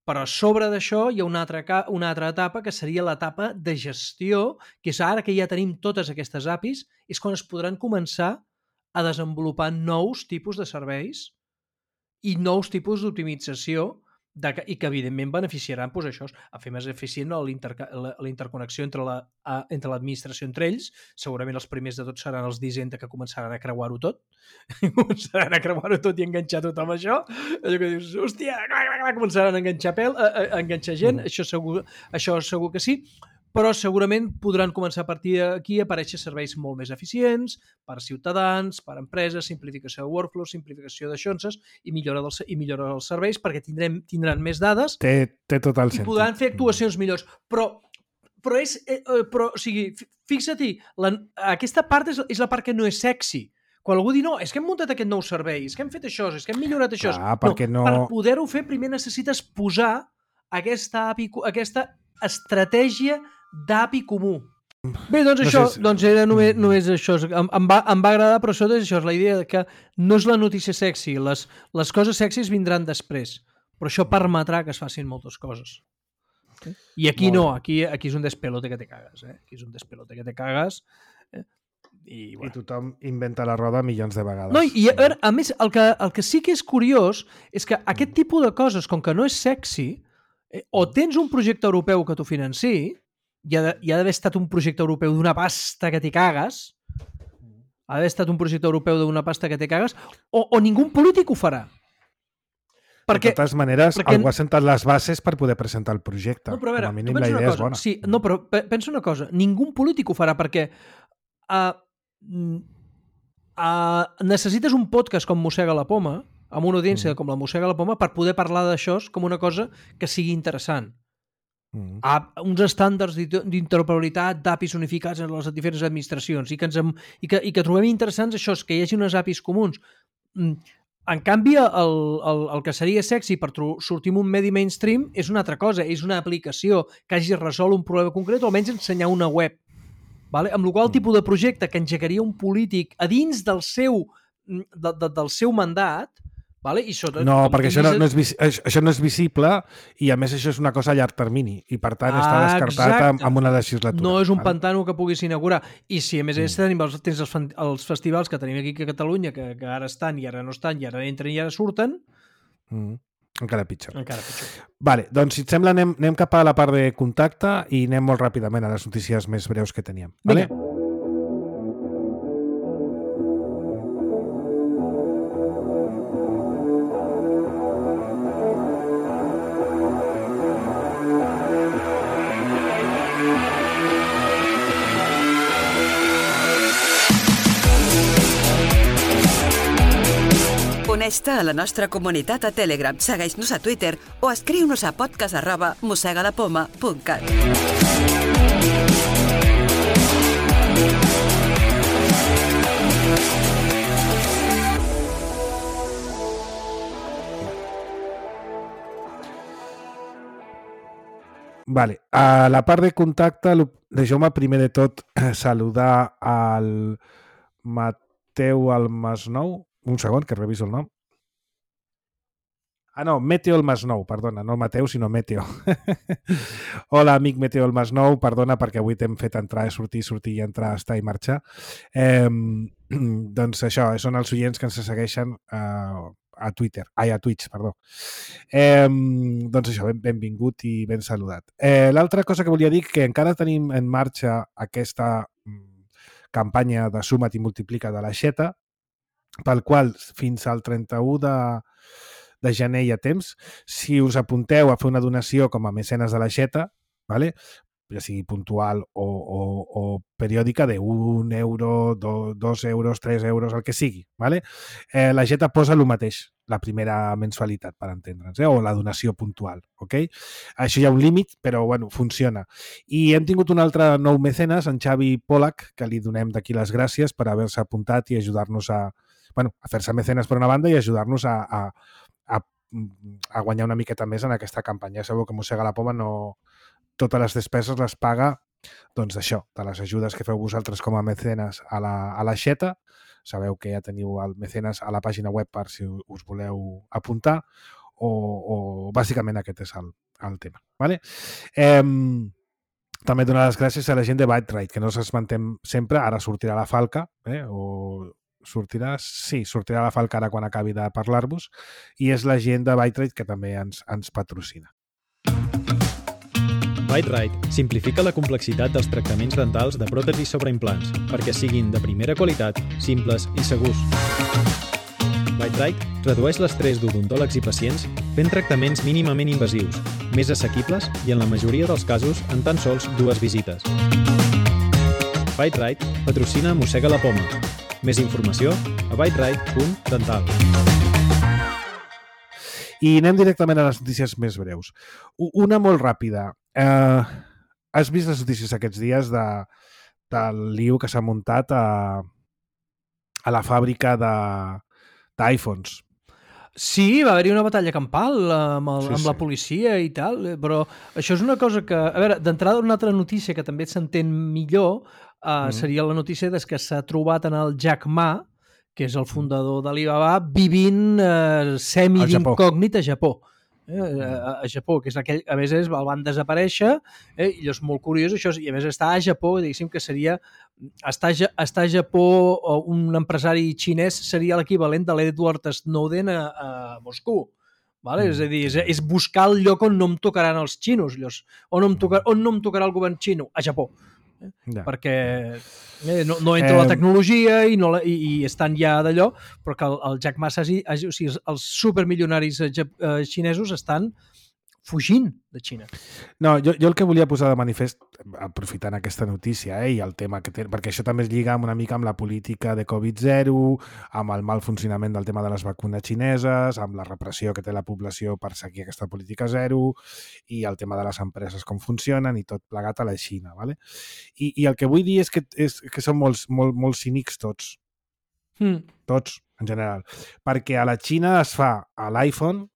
Però a sobre d'això hi ha una altra, una altra etapa que seria l'etapa de gestió, que és ara que ja tenim totes aquestes A P Is, és quan es podran començar a desenvolupar nous tipus de serveis i nous tipus d'optimització de, i que evidentment beneficiaran doncs, això, a fer més eficient la, la interconnexió entre la, a, entre l'administració entre ells. Segurament els primers de tot seran els d'Hisenda que començaran a creuar-ho tot. començaran a creuar-ho tot i enganxar tot amb això. Allò que dius, hòstia, començaran a enganxar pèl, a, a, a enganxar gent, mm. això, segur, això segur que sí, però segurament podran començar a partir d'aquí a aparèixer serveis molt més eficients per ciutadans, per empreses, simplificació de workflows, simplificació de xonses i millora dels, i millora dels serveis perquè tindrem, tindran més dades té, té tot el i sentit. podran fer actuacions millors. Però, però, és, eh, però o sigui, fixa-t'hi, aquesta part és, és la part que no és sexy. Quan algú diu, no, és que hem muntat aquest nou servei, és que hem fet això, és que hem millorat això. Clar, perquè no... Per poder-ho fer, primer necessites posar aquesta, A P I, aquesta estratègia d'A P I comú. Bé, doncs no això, sé si... doncs era només, només això. Em, em, va, em va agradar, però això és això, és la idea de que no és la notícia sexy, les, les coses sexys vindran després, però això permetrà que es facin moltes coses. I aquí no, aquí, aquí és un despelote que te cagues, eh? Aquí és un despelote que te cagues. Eh? I, bueno. I tothom inventa la roda milions de vegades. No, i a, veure, a més, el que, el que sí que és curiós és que aquest tipus de coses, com que no és sexy, eh, o tens un projecte europeu que t'ho financi, hi ha d'haver estat un projecte europeu d'una pasta que t'hi cagues, ha d'haver estat un projecte europeu d'una pasta que t'hi cagues, o, o ningú polític ho farà. Perquè, de totes maneres, perquè... algú ha sentat les bases per poder presentar el projecte. No, però a veure, com a mínim la idea cosa, és bona. Sí, no, però pensa una cosa, ningú polític ho farà perquè uh, uh, necessites un podcast com Mossega la Poma, amb una audiència mm. com la Mossega la Poma, per poder parlar d'això com una cosa que sigui interessant. Mm. A uns estàndards d'interoperabilitat d'A P Is unificats en les diferents administracions i que, ens, i que, i que trobem interessants això, que hi hagi unes A P Is comuns. En canvi, el, el, el que seria sexy per sortir en un medi mainstream és una altra cosa, és una aplicació que hagi resolt un problema concret o almenys ensenyar una web. Vale? Amb la qual tipus de projecte que engegaria un polític a dins del seu, de, de, del seu mandat. Vale? I sota, no, perquè això no, no és, això no és visible i a més això és una cosa a llarg termini i per tant ah, està descartat exacte. amb una legislatura. No és un vale? pantano que puguis inaugurar. I si a més mm. tenim els, tens els, els festivals que tenim aquí a Catalunya que, que ara estan i ara no estan i ara entren i ara surten... Mm. Encara pitjor. Encara pitjor. Vale, doncs si et sembla anem, anem cap a la part de contacte i anem molt ràpidament a les notícies més breus que teníem. Vale? Vinga. Uneix-te a la nostra comunitat a Telegram, segueix-nos a Twitter o escriu-nos a podcast arroba mossegalapoma punt cat. Vale, a la part de contacte, deixeu-me primer de tot saludar al Mateu Almasnou. Un segon, que reviso el nom. Ah, no, Meteo el Masnou, perdona, no el Mateu, sinó Meteo. Hola, amic Meteo el Masnou, perdona perquè avui t'hem fet entrar, sortir, sortir i entrar, estar i marxar. Eh, doncs això, són els oients que ens segueixen eh, a Twitter, ai, a Twitch, perdó. Eh, doncs això, ben, benvingut i ben saludat. Eh, L'altra cosa que volia dir que encara tenim en marxa aquesta campanya de Suma't i Multiplica de l'Aixeta, pel qual fins al trenta-u de de gener hi ha temps. Si us apunteu a fer una donació com a mecenes de l'Aixeta, ¿vale? Ja sigui puntual o, o, o periòdica, de un euro, do, dos euros, tres euros, el que sigui, ¿vale? Eh, l'Aixeta posa el mateix, la primera mensualitat, per entendre'ns, eh? O la donació puntual, ok? Això hi ha un límit, però bueno, funciona. I hem tingut un altre nou mecenes, en Xavi Polak, que li donem d'aquí les gràcies per haver-se apuntat i ajudar-nos a, bueno, a fer-se mecenes per una banda i ajudar-nos a, a A, a guanyar una miqueta més en aquesta campanya. Ja sabeu que Mossega la Poma no... Totes les despeses les paga, doncs això, de les ajudes que feu vosaltres com a mecenes a l'Aixeta. Sabeu que ja teniu el mecenes a la pàgina web per si us voleu apuntar, o, o bàsicament aquest és el, el tema. Vale? Eh, també donar les gràcies a la gent de Byte-Rite, que no s'esmentem sempre, ara sortirà la Falca, eh, o... sortirà, sí, sortirà la Falca ara quan acabi de parlar-vos, i és la gent de Byte-Rite que també ens, ens patrocina. Byte-Rite simplifica la complexitat dels tractaments dentals de pròtesis sobre implants perquè siguin de primera qualitat, simples i segurs. Byte-Rite redueix l'estrès d'odontòlegs i pacients fent tractaments mínimament invasius, més assequibles i en la majoria dels casos en tan sols dues visites. Byte-Rite patrocina Mossega la Poma. Més informació a byterite punt dental. I anem directament a les notícies més breus. Una molt ràpida. Eh, has vist les notícies aquests dies de, del lío que s'ha muntat a, a la fàbrica d'iPhones? Sí, va haver-hi una batalla campal amb, el, Sí, amb la sí. policia i tal, però això és una cosa que... A veure, d'entrada una altra notícia que també s'entén millor uh, mm. seria la notícia des que s'ha trobat en el Jack Ma, que és el fundador d'Alibaba, vivint uh, semi-d'incògnit a Japó. Eh, a, a Japó, que és aquell, a més és, el van desaparèixer, eh, i és molt curiós això, i a més està a Japó, diguéssim que seria estar, estar a Japó, o un empresari xinès seria l'equivalent de l'Edward Snowden a, a Moscou, vale? Mm. És a dir, és, és buscar el lloc on no em tocaran els xinos, llavors, on, no em tocar, on no em tocarà el govern xino, a Japó. Ja. Perquè eh, no, no entra eh... la tecnologia i, no la, i, i estan ja d'allò, però que el, el Jack Ma hagi, hagi, o sigui, els supermilionaris eh, xinesos estan fugint de Xina. No, jo, jo el que volia posar de manifest, aprofitant aquesta notícia, eh, i el tema que té, perquè això també es lliga una mica amb la política de covid zero, amb el mal funcionament del tema de les vacunes xineses, amb la repressió que té la població per seguir aquesta política zero, i el tema de les empreses com funcionen, i tot plegat a la Xina. Vale? I, i el que vull dir és que, és, que són molts, molt, molt cínics tots. Mm. Tots, en general. Perquè a la Xina es fa a l'iPhone,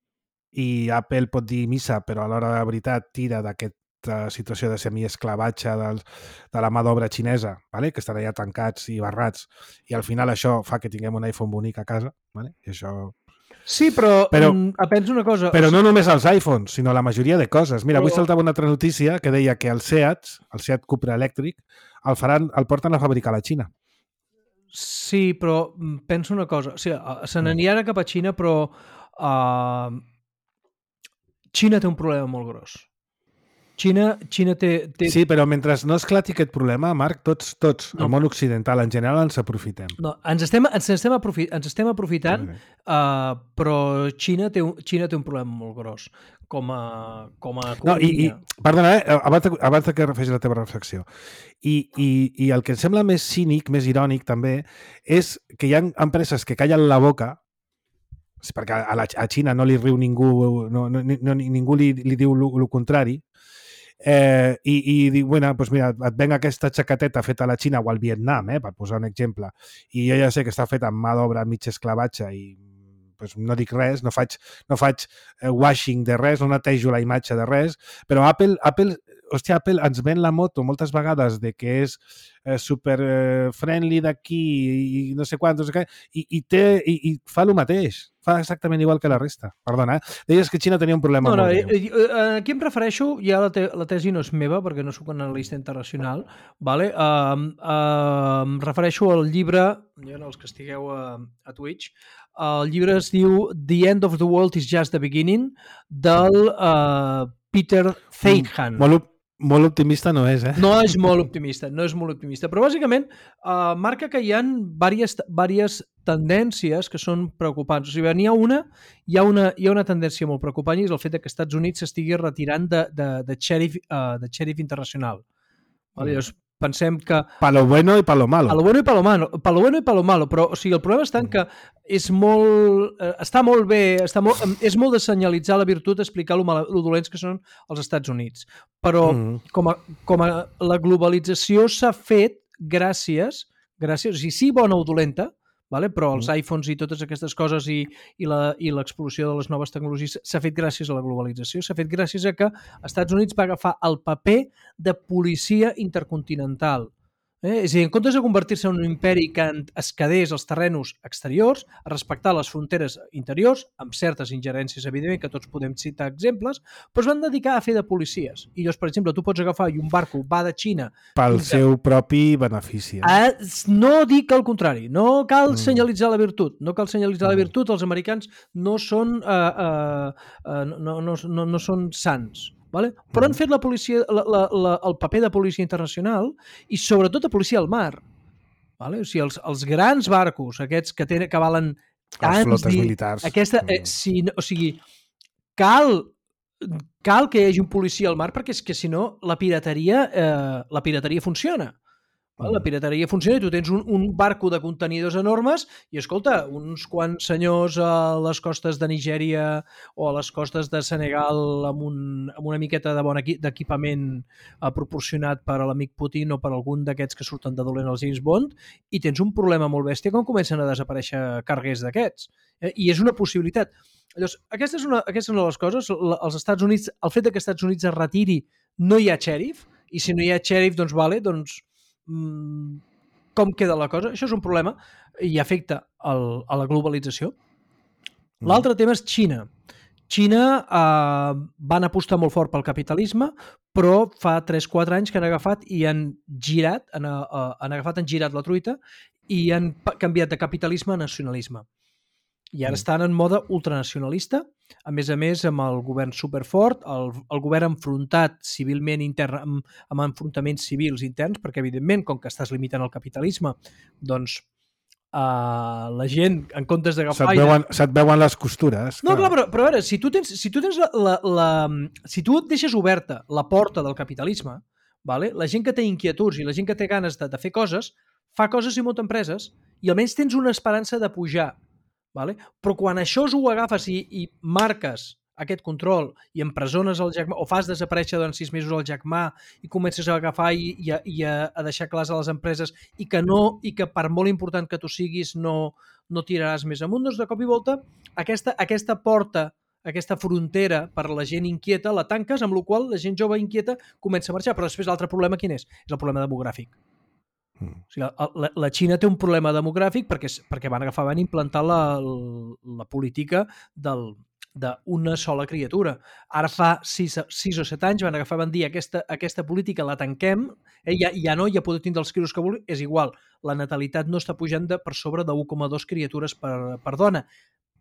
i Apple pot dir missa, però a l'hora de veritat tira d'aquesta situació de semiesclavatge del, de la mà d'obra xinesa, vale? Que estan allà tancats i barrats, i al final això fa que tinguem un iPhone bonic a casa. Vale? I això... Sí, però, però penso una cosa... Però no només els iPhones, sinó la majoria de coses. Mira, avui saltava una altra notícia que deia que el Seat, el Seat Cupra elèctric, el, faran, el porten a fabricar a la Xina. Sí, però penso una cosa. O sigui, se n'anirà cap a Xina, però... Uh... Xina té un problema molt gros. Xina, Xina té, té... Sí, però mentre no esclati aquest problema, Marc, tots, tots no. El món occidental en general ens aprofitem. No, ens estem, ens estem, aprofi ens estem aprofitant, sí. uh, però Xina té, un, Xina té un problema molt gros com a, com a no, i, i, perdona, eh, abans, de, abans de que facis la teva reflexió. I, i, I el que em sembla més cínic, més irònic també, és que hi ha empreses que callen la boca perquè a, la, a Xina no li riu ningú, no, no, no, ningú li, li diu el contrari, eh, i, i diu, bueno, doncs mira, et venc aquesta xaqueteta feta a la Xina o al Vietnam, eh, per posar un exemple, i jo ja sé que està feta amb mà d'obra mig esclavatge i doncs no dic res, no faig, no faig washing de res, no netejo la imatge de res, però Apple, Apple hòstia, Apple ens ven la moto moltes vegades de que és eh, super eh, friendly d'aquí i no sé quant, no sé què, i, i, té, i, i fa el mateix. Fa exactament igual que la resta. Perdona, eh? Deies que Xina tenia un problema no, no, molt greu. Aquí em refereixo, ja la, te, la tesi no és meva, perquè no soc un analista internacional, vale? uh, uh, em refereixo al llibre, ja no, els que estigueu a, a Twitch, el llibre es diu The End of the World is Just the Beginning, del uh, Peter Feighan. Mm, molt, molt optimista no és, eh? No és molt optimista, no és molt optimista. Però bàsicament uh, marca que hi ha diverses, diverses tendències que són preocupants. O sigui, n'hi ha una, hi ha una, hi ha una tendència molt preocupant i és el fet que els Estats Units s'estigui retirant de, de, de, xèrif, uh, de xèrif internacional. Vale? Llavors, pensem que... Pa lo bueno i pa lo malo. Pa lo bueno i pa lo malo, pa lo bueno i pa lo malo, però o sigui, el problema està en que és molt, eh, està molt bé, està molt, és molt de senyalitzar la virtut, explicar lo, mal, lo dolents que són els Estats Units. Però mm. com, a, com a la globalització s'ha fet gràcies, gràcies, o sigui, sí bona o dolenta, vale? Però els mm. iPhones i totes aquestes coses i, i l'explosió de les noves tecnologies s'ha fet gràcies a la globalització, s'ha fet gràcies a que els Estats Units va agafar el paper de policia intercontinental. Eh? És a dir, en comptes de convertir-se en un imperi que es quedés als terrenos exteriors, a respectar les fronteres interiors, amb certes ingerències, evidentment, que tots podem citar exemples, però es van dedicar a fer de policies. I llavors, per exemple, tu pots agafar i un barco va de Xina... Pel seu propi benefici. A, no dic el contrari, no cal mm. senyalitzar la virtut, no cal senyalitzar mm. la virtut, els americans no són, uh, uh, uh, no, no, no, no són sants. Vale? Però han fet la policia, la, la, la, el paper de policia internacional i sobretot de policia al mar. Vale? O sigui, els, els grans barcos, aquests que, tenen, que valen tants... Les flotes dir, militars. Aquesta, eh, si, o sigui, cal, cal que hi hagi un policia al mar perquè és que si no la pirateria, eh, la pirateria funciona. La pirateria funciona i tu tens un, un barco de contenidors enormes i, escolta, uns quants senyors a les costes de Nigèria o a les costes de Senegal amb, un, amb una miqueta de bon d'equipament eh, proporcionat per a l'amic Putin o per algun d'aquests que surten de dolent als James Bond i tens un problema molt bèstia quan comencen a desaparèixer carguers d'aquests. Eh? I és una possibilitat. Llavors, aquesta és una, aquesta és una de les coses. Els Estats Units, el fet que els Estats Units es retiri, no hi ha xèrif, i si no hi ha xèrif, doncs, vale, doncs com queda la cosa? Això és un problema i afecta el, a la globalització. L'altre tema és Xina. Xina eh, van apostar molt fort pel capitalisme, però fa tres quatre anys que han agafat i han girat, han, uh, han agafat, han girat la truita i han canviat de capitalisme a nacionalisme. I ara estan en mode ultranacionalista, a més a més amb el govern superfort, el, el govern enfrontat civilment intern, amb, amb enfrontaments civils interns, perquè evidentment, com que estàs limitant el capitalisme, doncs uh, la gent, en comptes d'agafar... Se't veuen, se't veuen les costures. No, clar, però, però a veure, si tu tens, si tu tens la, la, la, si tu deixes oberta la porta del capitalisme, vale? La gent que té inquietuds i la gent que té ganes de, de fer coses, fa coses i munta empreses, i almenys tens una esperança de pujar. Vale? Però quan això ho agafes i, i marques aquest control i empresones el Jack Ma o fas desaparèixer durant sis mesos el Jack Ma i comences a agafar i, i, a, i a, a deixar clars a les empreses i que, no, i que per molt important que tu siguis no, no tiraràs més amunt, doncs de cop i volta aquesta, aquesta porta, aquesta frontera per a la gent inquieta la tanques, amb la qual la gent jove inquieta comença a marxar. Però després l'altre problema quin és? És el problema demogràfic. O sigui, la, la Xina té un problema demogràfic perquè, perquè van agafar, van implantar la, la política del, d'una sola criatura. Ara fa sis, sis o set anys van agafar, van dir aquesta, aquesta política la tanquem, eh, ja, ja no, ja podeu tindre els crios que vulgui, és igual, la natalitat no està pujant de, per sobre de u coma dos criatures per, per dona.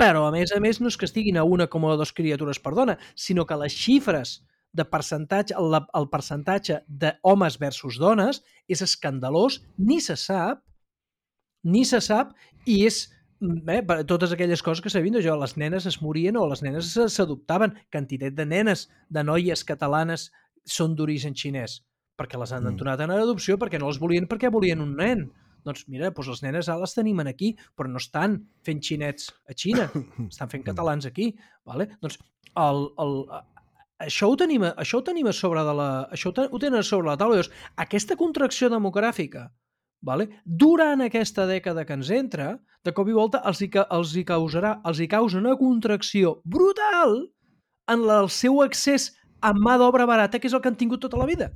Però, a més a més, no és que estiguin a u coma dos criatures per dona, sinó que les xifres de percentatge, el, el percentatge d'homes versus dones és escandalós, ni se sap, ni se sap, i és eh, totes aquelles coses que s'havien jo, les nenes es morien o les nenes s'adoptaven, quantitat de nenes, de noies catalanes són d'origen xinès, perquè les han entonat en adopció, perquè no les volien, perquè volien un nen. Doncs mira, doncs les nenes ara les tenim aquí, però no estan fent xinets a Xina, estan fent catalans aquí. Vale? Doncs el... el Això ho tenim, això ho tenim a sobre de la, això ho tenen a sobre la taula. Llavors, aquesta contracció demogràfica, vale? Durant aquesta dècada que ens entra, de cop i volta els hi, els hi causarà, els hi causa una contracció brutal en el seu accés amb mà d'obra barata, que és el que han tingut tota la vida.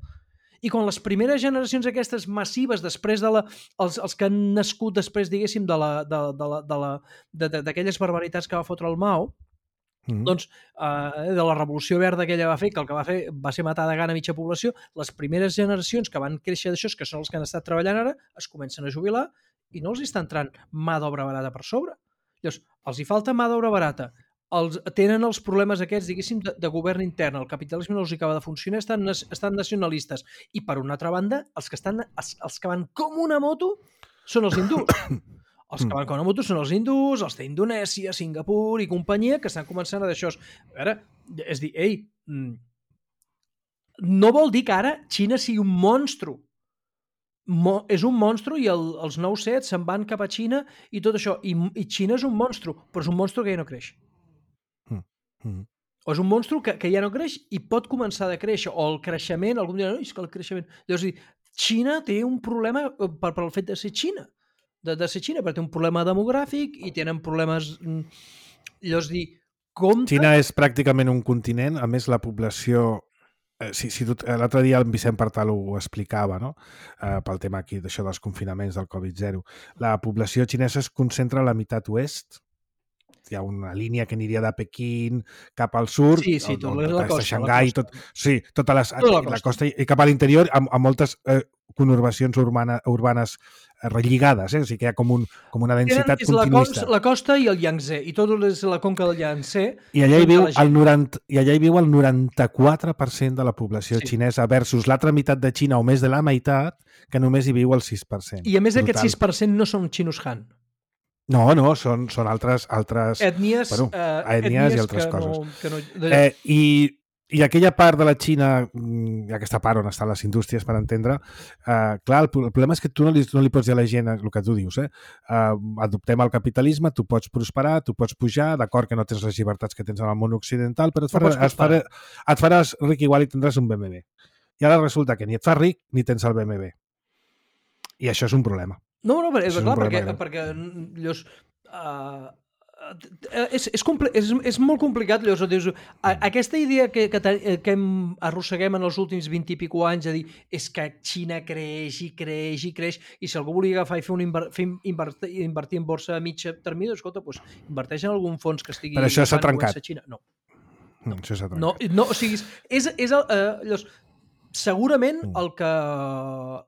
I quan les primeres generacions aquestes massives, després de la, els, els que han nascut després, diguéssim, de la, de, de la, de la, de, de, d'aquelles barbaritats que va fotre el Mao, mm. doncs, eh, de la revolució verda que ella va fer, que el que va fer va ser matar de gana mitja població, les primeres generacions que van créixer d'això, que són els que han estat treballant ara, es comencen a jubilar i no els està entrant mà d'obra barata per sobre. Llavors, els hi falta mà d'obra barata. Els, tenen els problemes aquests, diguéssim, de, de govern intern, el capitalisme no els acaba de funcionar, estan, estan nacionalistes. I per una altra banda, els que, estan, els, els que van com una moto són els hindús. Els que van com una moto són els hindús, els d'Indonèsia, Singapur i companyia, que estan començant a d'això. A veure, és dir, ei, no vol dir que ara Xina sigui un monstru. Mo, és un monstru i el, els nou set se'n van cap a Xina i tot això. I, i Xina és un monstru, però és un monstru que ja no creix. Mm. O és un monstru que, que ja no creix i pot començar a créixer, o el creixement, algun dia, no, és que el creixement... Llavors, Xina té un problema per, per el fet de ser Xina, de, de ser Xina, perquè té un problema demogràfic i tenen problemes... Llavors, dir, compte... Xina és pràcticament un continent, a més la població... Eh, si, si tu, l'altre dia el Vicent Partal ho, ho explicava, no? Eh, pel tema aquí d'això dels confinaments del covid zero. La població xinesa es concentra a la meitat oest, hi ha una línia que aniria de Pequín cap al sud, sí, sí, tot el, la costa, Xangai, la tot, sí, tota les, tota la, costa. la costa i cap a l'interior amb, amb moltes eh, conurbacions urbana, urbanes eh, relligades, eh? O sigui que hi ha com, un, com una densitat Tenen, continuista. La, la costa i el Yangtze, i tot és la conca del Yangtze. I allà hi viu el, noranta, i allà hi viu el noranta-quatre per cent de la població sí. xinesa versus l'altra meitat de Xina, o més de la meitat, que només hi viu el sis per cent. I a més Brutal. Aquest sis per cent no són xinos Han. No, no, són, són altres, altres ètnies, bueno, uh, ètnies, ètnies i altres que coses. No, que no, de... eh, i, I aquella part de la Xina, aquesta part on estan les indústries, per entendre, eh, clar, el, el problema és que tu no li, no li pots dir a la gent el que tu dius. Eh? Eh, adoptem el capitalisme, tu pots prosperar, tu pots pujar, d'acord que no tens les llibertats que tens en el món occidental, però et, farà, no et, farà, et faràs ric igual i tindràs un B M W. I ara resulta que ni et fas ric ni tens el B M W. I això és un problema. No, no, però, és, és clar, perquè, perquè llavors, uh, és, és, és, és molt complicat. Llavors, dius, a, aquesta idea que, que, que hem, arrosseguem en els últims vint i pico anys, a dir, és que Xina creix i creix i creix, i si algú volia agafar i fer un inver, fer invertir, invertir en borsa a mitja termini, escolta, doncs, inverteix en algun fons que estigui... Però això s'ha trencat. Xina. No. No. Això s'ha trencat. No, no, o sigui, és, és el, uh, llavors, segurament el, que,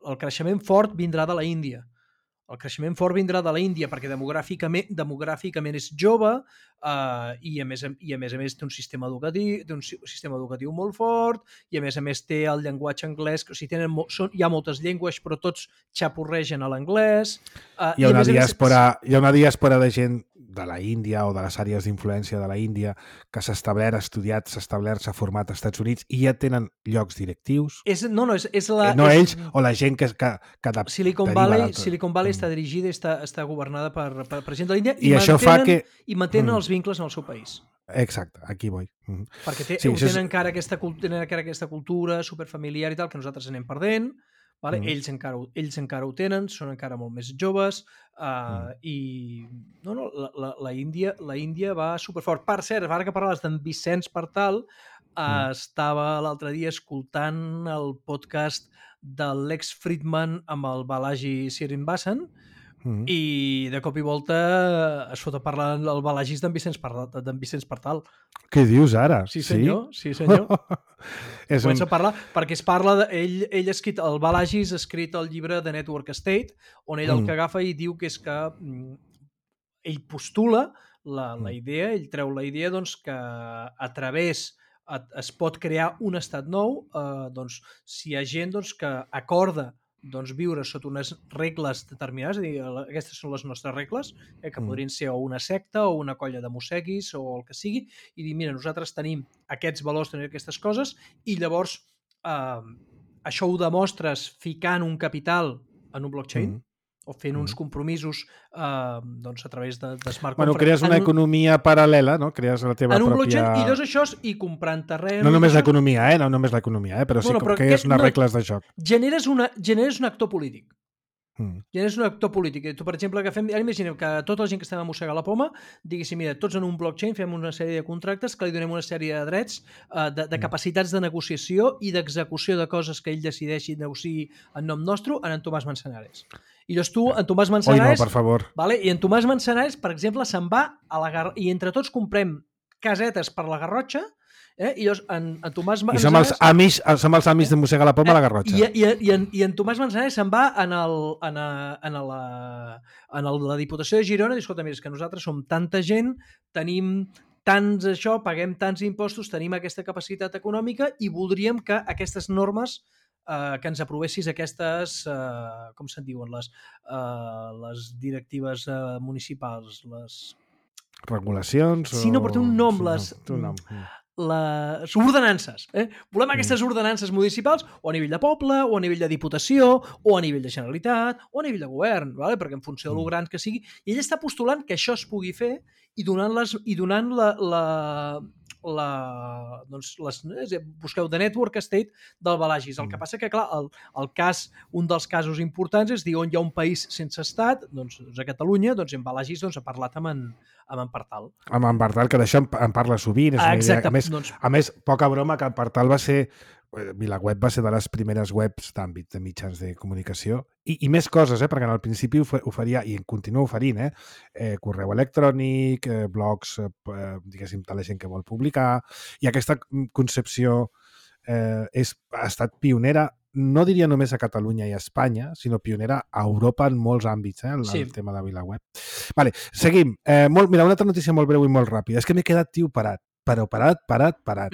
el creixement fort vindrà de la Índia. El creixement fort vindrà de la Índia perquè demogràficament, demogràficament és jove uh, i, a més, i a més a més té un sistema educatiu, té un sistema educatiu molt fort i a més a més té el llenguatge anglès, o sigui, tenen, són, hi ha moltes llengües però tots xapurregen a l'anglès. Uh, hi, ha una diàspora, més... hi ha una diàspora de gent de la Índia o de les àrees d'influència de la Índia que s'ha establert, ha estudiat, s'ha establert, s'ha format als Estats Units i ja tenen llocs directius. És, no, no, és, és la... Eh, no és... ells o la gent que... que, que de, Silicon Valley, Silicon Valley mm. està dirigida i està, està governada per, per, per gent de l'Índia i, I això fa que... i mantenen mm. els vincles en el seu país. Exacte, aquí vull. Mm. Perquè té, sí, tenen, és... encara aquesta, tenen encara aquesta cultura superfamiliar i tal que nosaltres anem perdent. Vale? Mm. Ells, encara, ells encara ho tenen, són encara molt més joves uh, mm. i no, no, la, la, la, Índia, la Índia va superfort. Per cert, ara que parlaves d'en Vicenç Partal, uh, mm. estava l'altre dia escoltant el podcast de Lex Fridman amb el Balaji Srinivasan mm. i de cop i volta es fot a parlar el Balajis d'en Vicenç Partal. D'en Vicenç Partal. Què dius ara? Sí, senyor. Sí, sí senyor. és Comença un... a parlar, perquè es parla de, ell, ell ha escrit, el Balajis ha escrit el llibre de Network State, on ell mm. el que agafa i diu que és que mm, ell postula la, la idea, ell treu la idea doncs, que a través es pot crear un estat nou, eh, doncs, si hi ha gent doncs, que acorda doncs, viure sota unes regles determinades, és a dir, aquestes són les nostres regles, eh, que mm. podrien ser o una secta o una colla de mosseguis o el que sigui, i dir, mira, nosaltres tenim aquests valors, tenim aquestes coses, i llavors eh, això ho demostres ficant un capital en un blockchain, mm. o fent uns compromisos eh, doncs a través de, de smart bueno, contract. Crees una un... economia paral·lela, no? Crees la teva en un pròpia... blockchain, i dos això, i comprant terreny... No només l'economia, eh? No només l'economia, eh? Però sí bueno, però que és unes no... regles de joc. Generes, una, generes un actor polític. Mm. Quin és un actor polític? Tu, per exemple, agafem, ara imaginem que tota la gent que estem a mossegar la poma diguéssim, mira, tots en un blockchain fem una sèrie de contractes que li donem una sèrie de drets, eh, de, de capacitats de negociació i d'execució de coses que ell decideixi negociar en nom nostre en en Tomàs Manzanares. I llavors tu, en Tomàs Manzanares... Oi, no, per favor. Vale? I en Tomàs Manzanares, per exemple, se'n va a la Gar... i entre tots comprem casetes per la Garrotxa. Eh? I llavors en, en Tomàs I Manzanares... som els amics, som els amics de mossegar la poma a la Garrotxa. I, i, i, en, I en Tomàs Manzanares se'n va en, el, en, a, en, la, en el, la Diputació de Girona i diu, escolta, mira, és que nosaltres som tanta gent, tenim tants això, paguem tants impostos, tenim aquesta capacitat econòmica i voldríem que aquestes normes eh, que ens aprovessis aquestes, eh, com se'n diuen, les, eh, les directives eh, municipals, les... Regulacions? Sí, no, però té un nom, sí, les... No, té un nom. les ordenances. Eh? Volem aquestes ordenances municipals o a nivell de poble, o a nivell de diputació, o a nivell de Generalitat, o a nivell de govern, vale? Perquè en funció de lo gran que sigui. I ell està postulant que això es pugui fer i donant, les, i donant la, la, la, doncs les, eh, busqueu The Network State del Balagis. El que passa que, clar, el, el cas, un dels casos importants és dir on hi ha un país sense estat, doncs, doncs a Catalunya, doncs en Balagis doncs, ha parlat amb en, amb en Partal. Amb en Partal, que d'això en, en parla sovint. És Ah, una idea. exacte. A més, Doncs, a més, poca broma, que en Partal va ser... VilaWeb va ser de les primeres webs d'àmbit de mitjans de comunicació i, i més coses, eh? Perquè en el principi oferia, i continua oferint, eh? Eh, correu electrònic, eh, blogs, eh, diguéssim, de la gent que vol publicar, i aquesta concepció eh, és, ha estat pionera, no diria només a Catalunya i a Espanya, sinó pionera a Europa en molts àmbits, eh? El, Sí. el tema de VilaWeb. Vale, seguim. Eh, molt, mira, una altra notícia molt breu i molt ràpida. És que m'he quedat, tio, parat. Però parat, parat, parat.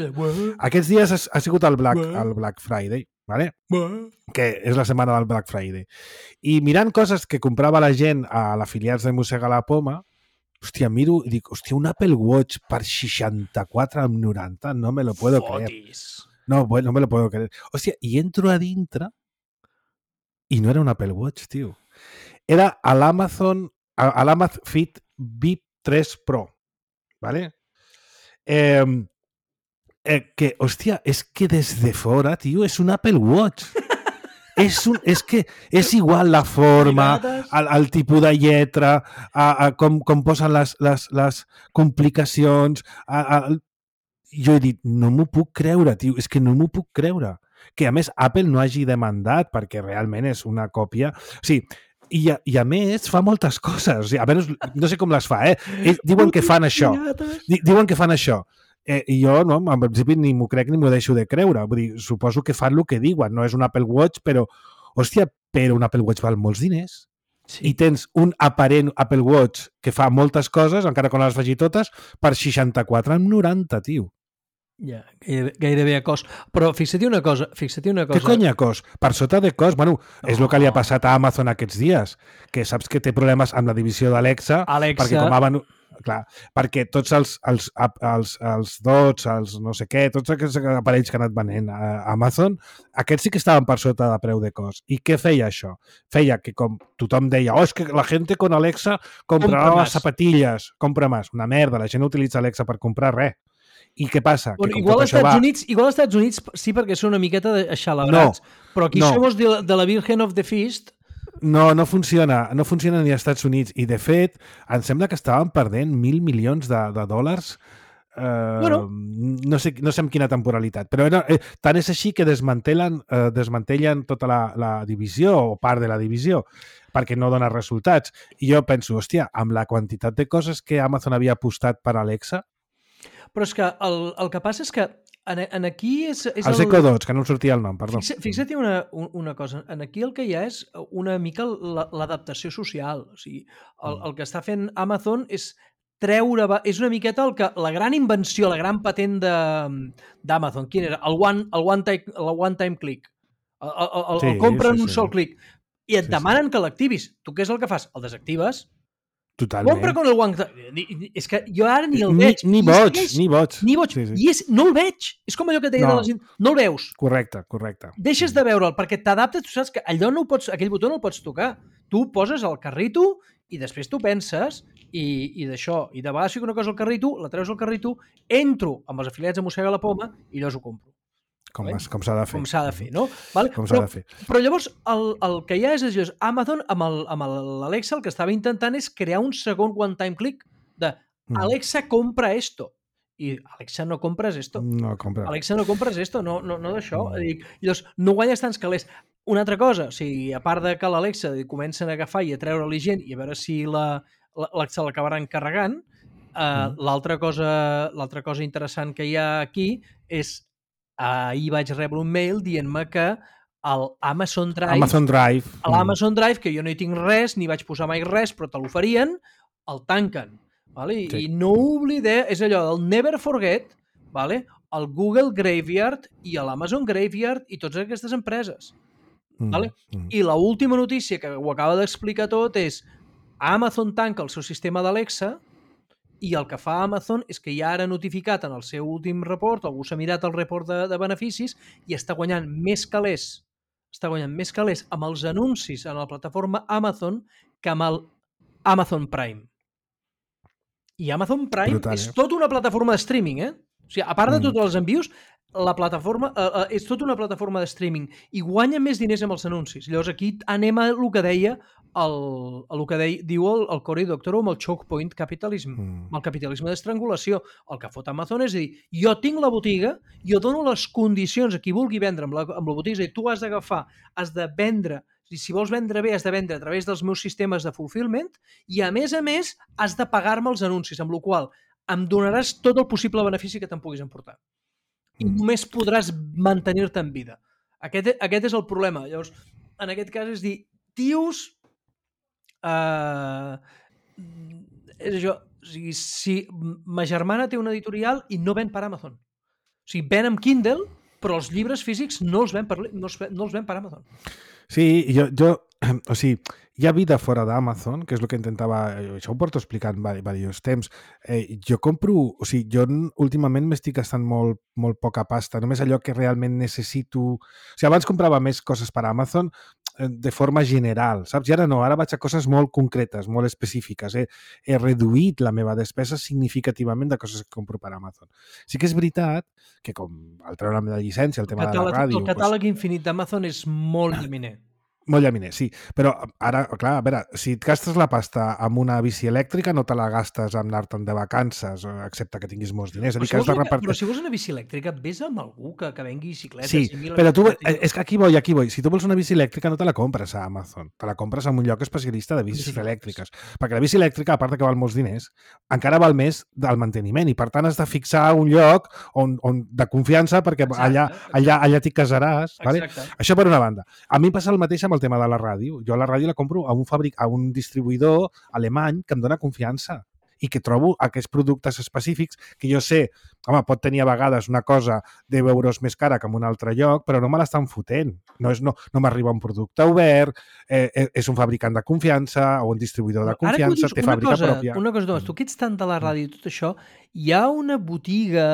Aquests dies ha, ha sigut el Black, el Black Friday, ¿vale? Que és la setmana del Black Friday. I mirant coses que comprava la gent a l'afiliats de Mossega la Poma, hòstia, miro i dic, hòstia, un Apple Watch per seixanta-quatre coma noranta, no me lo puedo creer. No, bueno, no me lo puedo creer. Hòstia, i entro a dintre i no era un Apple Watch, tio. Era a l'Amazon, a l'Amazfit V I P tres Pro, ¿vale? Eh, eh, que, hòstia, és que des de fora, tio, és un Apple Watch. és, un, és que és igual la forma, el, el tipus de lletra, a, a, com, com posen les, les, les complicacions. A, a, jo he dit, no m'ho puc creure, tio, és que no m'ho puc creure. Que, a més, Apple no hagi demandat perquè realment és una còpia... O sigui, I a, i a més fa moltes coses, o sigui, a veure, no sé com les fa, eh? Ells diuen que fan això, diuen que fan això, eh, i jo no, en principi ni m'ho crec ni m'ho deixo de creure, vull dir, suposo que fan el que diuen, no és un Apple Watch, però, hòstia, però un Apple Watch val molts diners, sí. I tens un aparent Apple Watch que fa moltes coses, encara que no les faci totes, per seixanta-quatre coma noranta, tio. Ja, gairebé, gairebé a cost. Però fixa't una cosa, fixa't una cosa... Què cony a cost? Per sota de cost? Bueno, no. És el que li ha passat a Amazon aquests dies, que saps que té problemes amb la divisió d'Alexa, perquè com van... Clar, perquè tots els, els, els, els dots, els no sé què, tots aquests aparells que han anat venent a Amazon, aquests sí que estaven per sota de preu de cost. I què feia això? Feia que com tothom deia, oh, és que la gent con Alexa comprarà les zapatilles, compra més. Una merda, la gent no utilitza Alexa per comprar res. I què passa? Bueno, que igual, als Estats va... Units, igual als Estats Units sí, perquè són una miqueta aixalabrats, no, però aquí no. Somos de, de la Virgen of the Feast. No, no funciona, no funciona ni als Estats Units. I, de fet, em sembla que estàvem perdent mil milions de, de dòlars, eh, bueno. no, sé, no sé amb quina temporalitat, però era, eh, tant és així que desmantellen, eh, desmantellen tota la, la divisió o part de la divisió perquè no dona resultats. I jo penso, hòstia, amb la quantitat de coses que Amazon havia apostat per Alexa. Però és que el, el que passa és que en, en aquí és... és els el... Echo Dots, que no em sortia el nom, perdó. Fixa, fixa't una, una cosa, en aquí el que hi ha és una mica l'adaptació social. O sigui, el, el que està fent Amazon és treure... És una miqueta el que, la gran invenció, la gran patent d'Amazon. Quin era? El one, el one, time, el one time click. El, el, el, sí, el compra en sí, un sí. sol clic. I et sí, demanen sí. que l'activis. Tu què és el que fas? El desactives. Totalment. Compra con el One... És que jo ara ni el veig. Ni, ni boig, ni boig. Ni boig. Sí, sí. I és, no el veig. És com allò que et deia no. de la gent. No el veus. Correcte, correcte. Deixes de veure'l perquè t'adaptes. Tu saps que allò no ho pots, aquell botó no el pots tocar. Tu poses el carrito i després tu penses i, i d'això. I de vegades fico una cosa al carrito, la treus al carrito, entro amb els afiliats a Mossega la Poma i llavors ho compro. Com, vale? com s'ha de fer. Com s'ha de fer, no? Vale? Com s'ha Però, de fer. però llavors el, el que hi ha és, és Amazon amb el- amb l'Alexa el que estava intentant és crear un segon one-time click de Mm. Alexa compra esto. I Alexa no compres esto. No, compra. Alexa no compres esto, no, no, no d'això. Mm. Dic, llavors, no guanyes tants calés. Una altra cosa, o sigui, a part de que l'Alexa comencen a agafar i a treure-li gent i a veure si la, la, se l'acabaran carregant, eh, Mm. l'altra cosa, l'altra cosa interessant que hi ha aquí és ahir vaig rebre un mail dient-me que el Amazon Drive, Amazon Drive. a l'Amazon Drive, que jo no hi tinc res, ni vaig posar mai res, però te l'oferien, el tanquen. Vale? I, Sí. I no oblideu, és allò del never forget, vale? El Google Graveyard i l'Amazon Graveyard i totes aquestes empreses. Mm. Vale? Mm. I l'última notícia que ho acaba d'explicar tot és Amazon tanca el seu sistema d'Alexa i el que fa Amazon és que ja ara ha notificat en el seu últim report, algú s'ha mirat el report de, de beneficis i està guanyant més calés, està guanyant més calés amb els anuncis en la plataforma Amazon que amb el Amazon Prime. I Amazon Prime Brutal, és eh? tota una plataforma de streaming, eh? O sigui, a part de Mm. tots els envios, la plataforma eh, eh, és tota una plataforma de streaming i guanya més diners amb els anuncis. Llavors aquí anem a el que deia el, el que deia, diu el, el Cory Doctorow amb el choke point capitalism, Mm. amb el capitalisme d'estrangulació. El que fot Amazon és dir, jo tinc la botiga, jo dono les condicions a qui vulgui vendre amb la, amb la botiga, és a dir, tu has d'agafar, has de vendre, i si vols vendre bé has de vendre a través dels meus sistemes de fulfillment i a més a més has de pagar-me els anuncis, amb la qual em donaràs tot el possible benefici que te'n puguis emportar. I Mm. només podràs mantenir-te en vida. Aquest, aquest és el problema. Llavors, en aquest cas és dir, tios, eh, és això, o sigui, si ma germana té una editorial i no ven per Amazon. O sigui, ven amb Kindle, però els llibres físics no els ven per, no els ven, no els ven per Amazon. Sí, jo, jo, o sigui, hi ha vida fora d'Amazon, que és el que intentava, això ho porto explicant diversos temps. Eh, jo compro, o sigui, jo últimament m'estic gastant molt, molt poca pasta, només allò que realment necessito. O sigui, abans comprava més coses per Amazon eh, de forma general, saps? I ara no, ara vaig a coses molt concretes, molt específiques. He, he reduït la meva despesa significativament de coses que compro per Amazon. Sí que és veritat que com al treure la meva llicència, el tema catàleg, de la ràdio... el catàleg doncs... infinit d'Amazon és molt llaminer. Molt llaminer, sí. Però ara, clar, a veure, si et gastes la pasta amb una bici elèctrica, no te la gastes amb anar-te'n de vacances, excepte que tinguis molts diners. Però, dir, si que has vols, de repartir... però si vols una bici elèctrica, vés amb algú que, que vengui bicicletes. Sí, i però tu, bicicletes. és que aquí vull, aquí vull. Si tu vols una bici elèctrica, no te la compres a Amazon. Te la compres en un lloc especialista de bicis elèctriques. Perquè la bici elèctrica, a part de que val molts diners, encara val més del manteniment i, per tant, has de fixar un lloc on, on de confiança perquè Exacte, allà, exacte. allà, allà t'hi casaràs. Vale? Exacte. Això per una banda. A mi em passa el mateix amb el tema de la ràdio. Jo la ràdio la compro a un, fabric, a un distribuïdor alemany que em dona confiança i que trobo aquests productes específics que jo sé, home, pot tenir a vegades una cosa deu euros més cara que en un altre lloc, però no me l'estan fotent. No, és, no, no m'arriba un producte obert, eh, és un fabricant de confiança o un distribuïdor de confiança, dius, té una fàbrica cosa, pròpia. Una cosa, Tomàs, tu que ets tant de la ràdio i tot això, hi ha una botiga...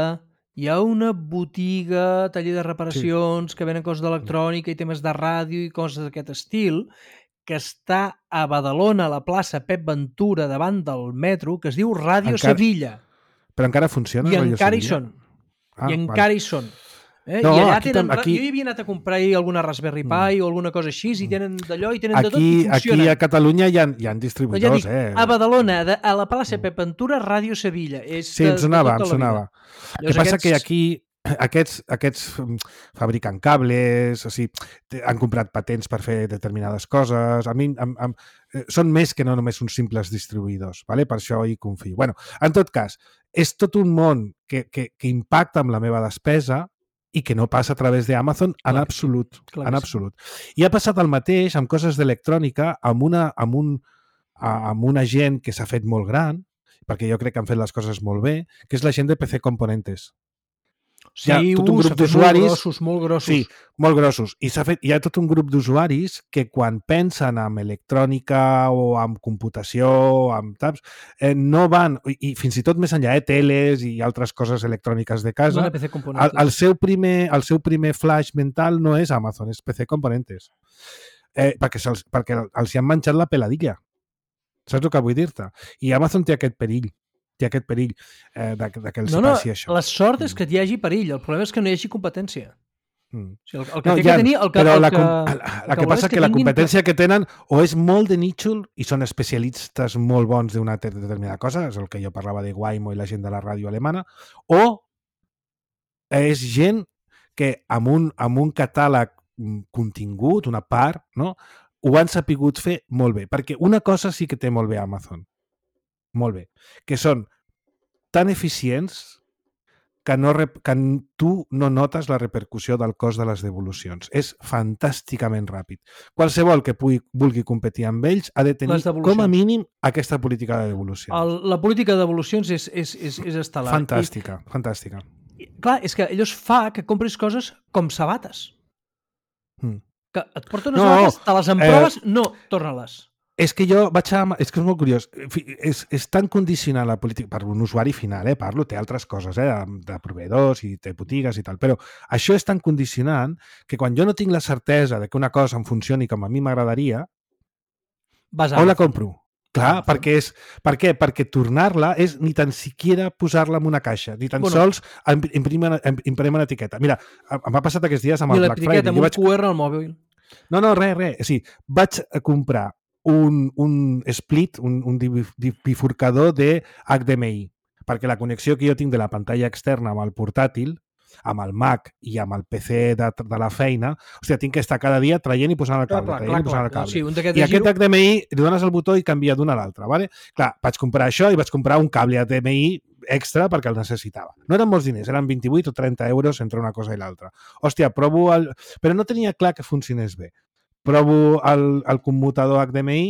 Hi ha una botiga, taller de reparacions, sí. que venen coses d'electrònica i temes de ràdio i coses d'aquest estil, que està a Badalona, a la plaça Pep Ventura, davant del metro, que es diu Ràdio Encara- Sevilla. Però encara funciona? I Ràdio encara hi Sevilla? són. Ah, I vale. encara hi són. Eh? No, I allà aquí tenen... tam- aquí- Jo hi havia anat a comprar alguna Raspberry Pi o alguna cosa així, i tenen d'allò i tenen de tot Aquí, i aquí funcionen. a Catalunya hi ha, hi ha Però ja distribuïdors, dic, eh? a Badalona, de, a la plaça Pep Ventura, Ràdio Sevilla. És Sí, de, em sonava, de em tota la sonava. vida. El que Llavors, passa aquests- que aquí aquests, aquests mm, fabriquen cables, o sigui, té- han comprat patents per fer determinades coses. A mi, am, am, eh, són més que no només uns simples distribuïdors, ¿vale? Per això hi confio. Bueno, en tot cas, és tot un món que, que, que impacta amb la meva despesa i que no passa a través d'Amazon en Clar que sí, absolut. clar que En sí. absolut. I ha passat el mateix amb coses d'electrònica, amb, una, amb, un, a- amb una gent que s'ha fet molt gran, perquè jo crec que han fet les coses molt bé, que és la gent de P C Componentes. Sí, hi ha tot un uh, grup s'ha fet d'usuaris- Molt grossos, molt grossos. Sí, molt grossos. I s'ha fet, hi ha tot un grup d'usuaris que quan pensen en electrònica o en computació o en taps, eh, no van, i, i fins i tot més enllà, eh, teles i altres coses electròniques de casa, Una P C el, Componentes. el, seu primer, el seu primer flash mental no és Amazon, és P C Componentes. Eh, perquè, se'ls, perquè els hi han menjat la peladilla. Saps el que vull dir-te? I Amazon té aquest perill. Té aquest perill eh, de, de que els No, no, passi això. la sort és que hi hagi perill. El problema és que no hi hagi competència. Mm. O sigui, el, el que No, té ja, que tenir... El que, però el la, que, com- el la, que la que volem passa és que la tinguin- competència que tenen o és molt de nítxol i són especialistes molt bons d'una te- determinada cosa, és el que jo parlava de Waymo i la gent de la ràdio alemana, o és gent que amb un, amb un catàleg mm, contingut, una part, no? ho han sapigut fer molt bé. Perquè una cosa sí que té molt bé Amazon, molt bé, que són tan eficients que, no, rep- que tu no notes la repercussió del cost de les devolucions. És fantàsticament ràpid. Qualsevol que pugui, vulgui competir amb ells ha de tenir Les devolucions. com a mínim aquesta política de devolucions. El, la política devolucions és, és, és, és estel·lar. Fantàstica, fantàstica. I, clar, és que allò es fa que compris coses com sabates. Mm. Que et porten unes No, sabates, te les emproves, eh... no, torna-les. És que jo vaig a... És que és molt curiós. Fi- És, és tan condicionant la política per un usuari final, eh? Parlo, té altres coses, eh? De, de proveïdors i té botigues i tal, però això és tan condicionant que quan jo no tinc la certesa de que una cosa em funcioni com a mi m'agradaria, Vas a on la Amazon. compro? Clar, Amazon. perquè és... Per què? Perquè tornar-la és ni tan siquiera posar-la en una caixa, ni tan Bueno. sols im- imprimir, imprimir una etiqueta. Mira, em va passat aquests dies amb I el Black l'etiqueta Friday. amb Jo un vaig... Q R al mòbil. No, no, res, res. O sigui, vaig a comprar un, un split, un, un divi- di- bifurcador de H D M I, perquè la connexió que jo tinc de la pantalla externa amb el portàtil, amb el Mac i amb el P C de, de la feina, hòstia, tinc que estar cada dia traient i posant el Clar, cable, clar, traient clar, i posant clar. el cable. Sí, un d'aquests I de aquest giro... H D M I li dones el botó i canvia d'una a l'altra, ¿vale? Clar, vaig comprar això i vaig comprar un cable H D M I extra perquè el necessitava. No eren molts diners, eren vint-i-vuit o trenta euros entre una cosa i l'altra. Hòstia, provo el... Però no tenia clar que funcionés bé. Provo el, el commutador H D M I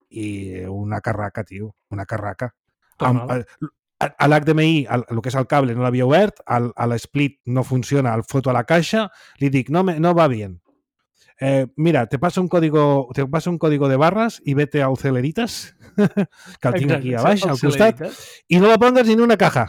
i una carraca, tio, una carraca. Amb, Torna-la. el- a l'H D M I, el, el que és el cable, no l'havia obert, el, a l'split no funciona, el foto a la caixa, li dic, no, me, no va bien. Eh, mira, te paso un código, te paso un código de barras y vete a Celeritas, que el tinc aquí a baix, al costat, i no la pongues ni en una caja.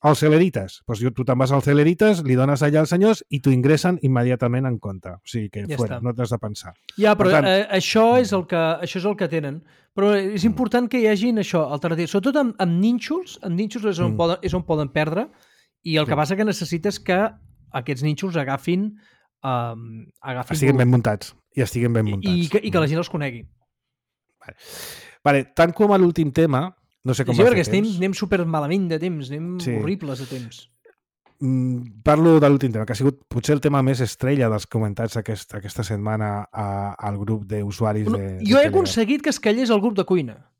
Al Celeritas. Pues jo, tu te'n vas al Celeritas, li dones allà als senyors i t'ho ingressen immediatament en compte. O sigui que Ja fuera, està. no t'has de pensar. Ja, però Per tant- eh, això, és el que, això és el que tenen. Però és important que hi hagin això, alternatives. Sobretot amb, amb nínxols, amb nínxols és on, Mm. poden, és on poden perdre, i el que Sí. passa que necessites que aquests nínxols agafin... Um, agafin Estiguin ben volum. muntats. I estiguin ben muntats. I, i, que, I que la gent els conegui. Vale, tant com a l'últim tema, no sé com Sí, va perquè fer estem, temps. anem super malament de temps, anem Sí. horribles de temps. Mm, parlo de l'últim tema, que ha sigut potser el tema més estrella dels comentats aquest, aquesta setmana a, al grup d'usuaris No, de, de jo he Telegram. aconseguit que es callés el grup de cuina.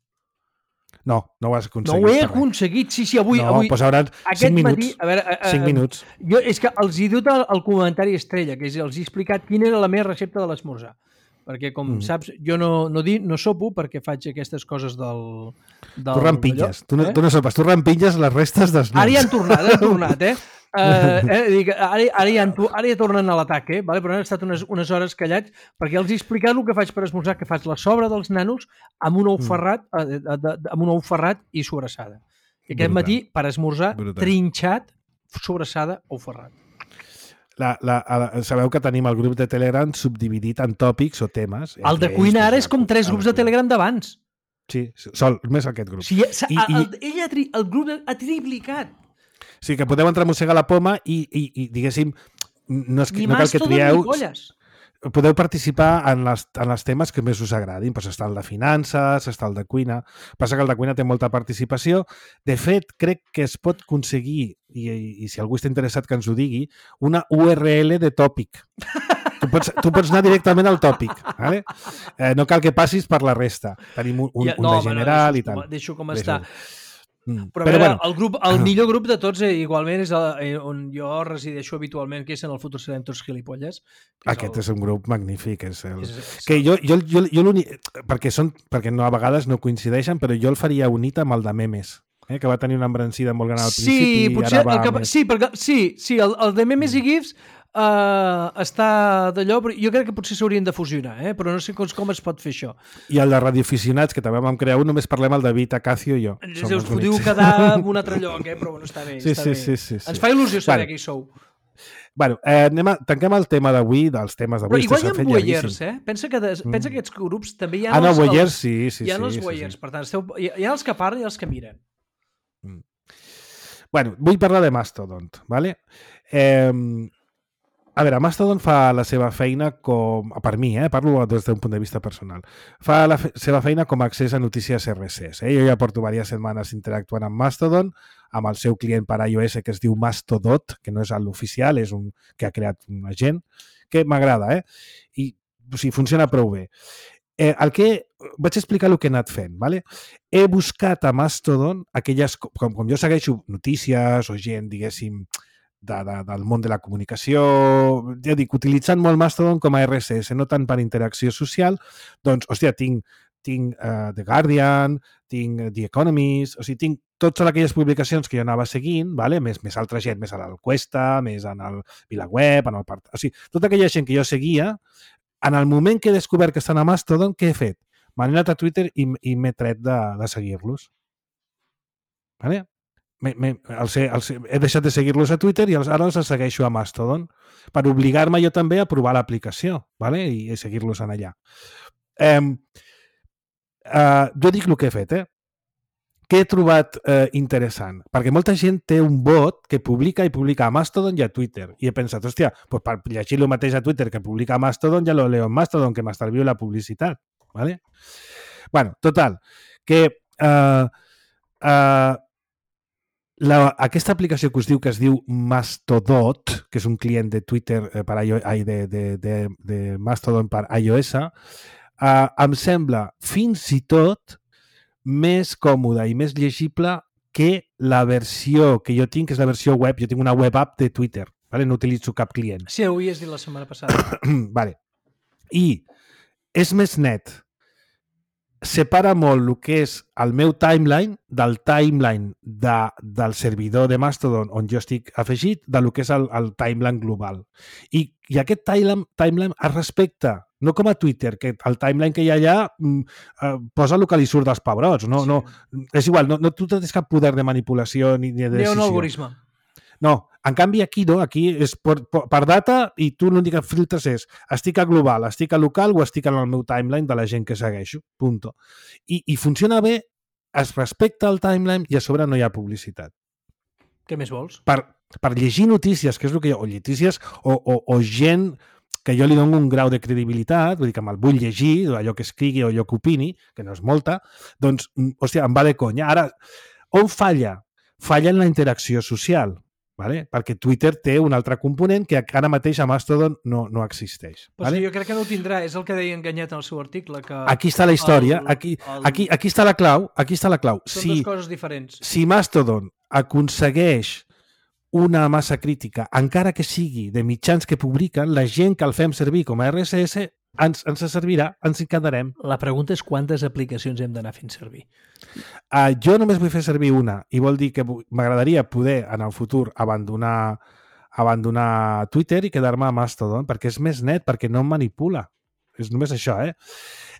No, no ho has No aconseguit. ho he per res. aconseguit, sí, sí, avui... no, avui doncs hauran aquest cinc minuts. matí... A veure, eh, eh, cinc minuts. Jo, és que els he dut el, el comentari estrella, que és, els he explicat quina era la meva recepta de l'esmorzar. Perquè, com Mm. saps, jo no, no, di, no sopo perquè faig aquestes coses del... del Tu rampilles. Tu no, eh? tu no sopes, tu rampilles les restes dels Ara nens. ja han tornat, han tornat, eh? Uh, eh dic, ara, ara, ja han, to- ara ja tornen a l'atac, eh? Vale? Però han estat unes, unes hores callats perquè els he explicat el que faig per esmorzar, que faig la sobra dels nanos amb un ou Mm. ferrat, eh, de, de, de, amb un ou ferrat i sobrassada. I aquest Brutal. matí, per esmorzar, Brutal. trinxat, sobrassada, ou ferrat. La, la, la, sabeu que tenim el grup de Telegram subdividit en tòpics o temes. El de Entre cuina ells, ara doncs, és com la- tres la grups de cuina. Telegram d'abans. Sí, sol, més aquest grup. O sigui, s'ha- I- i- el, ell ha tri, el grup ha triplicat. O sigui, que podeu entrar a mossegar la poma i, i, i diguéssim, no, és que, Ni no cal más que todo trieu... ni polles. Podeu participar en les, en les temes que més us agradin. Pues està el de finances, està el de cuina. Passa que el de cuina té molta participació. De fet, crec que es pot aconseguir, i, i, i si algú està interessat que ens ho digui, una U R L de tòpic. Tu pots, tu pots anar directament al tòpic. Vale? Eh, no cal que passis per la resta. Tenim un, un, Ja, un no, de home, no, general deixo i tal. com- Deixo com Deixo. està. Mm. Però, Però Però veure, bueno, el, grup, el millor grup de tots, eh, igualment, és el, eh, on jo resideixo habitualment, que és en el futur serem tots gilipolles. que aquest el, és un grup magnífic. És el... és, és, Que jo, jo, jo, jo l'únic... Perquè, són, perquè no, a vegades no coincideixen, però jo el faria unit amb el de memes, eh? que va tenir una embrancida molt gran al sí, principi. potser ara va el que, més... sí, perquè, sí, sí, el, el de memes i gifs uh, està d'allò, però jo crec que potser s'haurien de fusionar, eh? Però no sé com, com es pot fer això. I el de radioaficionats, que també vam crear un, només parlem el David, Acacio i jo. Ens Som us els podeu únics. quedar en un altre lloc, eh? Però bueno, està bé. Sí, està sí, bé. sí, sí, sí. Ens fa il·lusió saber Bueno. qui sou. Bueno, eh, anem a, tanquem el tema d'avui, dels temes Però d'avui. igual hi s'ha ha fet voyeurs, llarguíssim. eh? Pensa que, des, pensa que aquests grups també hi ha Ah, no, els, voyeurs, els, sí, sí, hi ha sí. els sí, voyeurs, sí. per tant, esteu, hi, hi ha els que parlen i els que miren. Bueno, vull parlar de Mastodon, ¿vale? Eh, a veure, Mastodon fa la seva feina com... Per mi, eh? Parlo des d'un punt de vista personal. Fa la fe seva feina com a accés a notícies erre esse esse. Eh? Jo ja porto diverses setmanes interactuant amb Mastodon, amb el seu client per iOS que es diu Mastodot, que no és l'oficial, és un que ha creat una gent, que m'agrada, eh? I o sigui, funciona prou bé. Eh, el que vaig explicar el que he anat fent. ¿Vale? He buscat a Mastodon aquelles... Com, com jo segueixo notícies o gent, diguéssim, de, de, del món de la comunicació, ja dic, utilitzant molt Mastodon com a erre esse esse, no tant per interacció social, doncs, hòstia, tinc, tinc uh, The Guardian, tinc The Economist, o sigui, tinc totes aquelles publicacions que jo anava seguint, ¿vale? més, més altra gent, més a l'Encuesta, més en el VilaWeb, en el part... O sigui, tota aquella gent que jo seguia, en el moment que he descobert que estan a Mastodon, què he fet? M'he anat a Twitter i, i m'he tret de, de seguir-los. Vale? Me, me, els he, els he, he deixat de seguir-los a Twitter i els, ara els segueixo a Mastodon per obligar-me jo també a provar l'aplicació, vale? I, i seguir-los en allà. Eh, eh, jo dic el que he fet, eh? Què he trobat eh, interessant? Perquè molta gent té un bot que publica i publica a Mastodon i a Twitter. I he pensat, hòstia, pues per llegir el mateix a Twitter que publica a Mastodon, ja lo leo en Mastodon, que m'estalvio la publicitat. ¿Vale? Bueno, total, que eh, eh, la, aquesta aplicació que us diu que es diu Mastodot, que és un client de Twitter eh, per iOS, de, de, de, de Mastodon per iOS, eh, em sembla fins i tot més còmode i més llegible que la versió que jo tinc, que és la versió web. Jo tinc una web app de Twitter, ¿vale? No utilitzo cap client. Sí, ho havies dit la setmana passada. Vale. I és més net. Separa molt el que és el meu timeline del timeline de, del servidor de Mastodon on jo estic afegit de lo que és el, el timeline global. I, i aquest timeline, timeline es respecta, no com a Twitter, que el timeline que hi ha allà eh, posa el que li surt dels pebrots. No, sí. no, és igual, no, no, tu no tens cap poder de manipulació ni de decisió. Hi ha un algoritme. No, en canvi aquí no, aquí és per, per data i tu l'únic que filtres és estic a global, estic a local o estic en el meu timeline de la gent que segueixo, punto. I, i funciona bé, es respecta el timeline i a sobre no hi ha publicitat. Què més vols? Per, per llegir notícies, que és el que jo, o notícies o, o, o gent que jo li dono un grau de credibilitat, vull dir que me'l vull llegir, allò que escrigui o allò que opini, que no és molta, doncs, hòstia, em va de conya. Ara, on falla? Falla en la interacció social, ¿vale? Perquè Twitter té un altre component que ara mateix a Mastodon no, no existeix. Però ¿vale? sí, jo crec que no ho tindrà, és el que deia Enganyat en el seu article. Que aquí està la història, el, aquí, el... aquí, aquí està la clau, aquí està la clau. Són si, dues coses diferents. Si Mastodon aconsegueix una massa crítica, encara que sigui de mitjans que publiquen, la gent que el fem servir com a erre esse esse ens, ens servirà, ens hi quedarem. La pregunta és quantes aplicacions hem d'anar fent servir. Uh, jo només vull fer servir una i vol dir que m'agradaria poder en el futur abandonar, abandonar Twitter i quedar-me a Mastodon perquè és més net, perquè no em manipula. És només això, eh?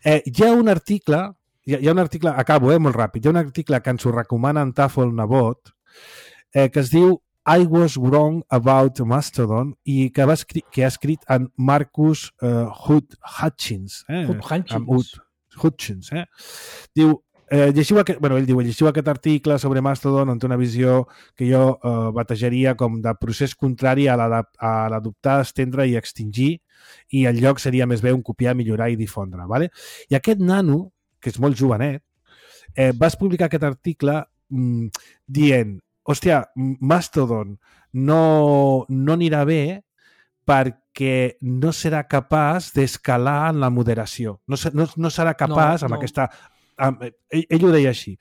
eh hi ha un article, hi ha, hi ha un article, acabo, eh, molt ràpid, hi ha un article que ens ho recomana en Tafel Nebot eh, que es diu I was wrong about Mastodon i que, va escri que ha escrit en Marcus uh, Hud Hutchins. Eh? Hutchins. Hutchins, eh? Diu, eh, llegiu aquest, bueno, ell diu, llegiu aquest article sobre Mastodon on té una visió que jo eh, batejaria com de procés contrari a l'adoptar, estendre i extingir i el lloc seria més bé un copiar, millorar i difondre. Vale? I aquest nano, que és molt jovenet, eh, vas publicar aquest article mm, dient hòstia, Mastodon no, no anirà bé perquè no serà capaç d'escalar en la moderació. No, no, no serà capaç no, amb no. aquesta... Amb, ell, ell ho deia així.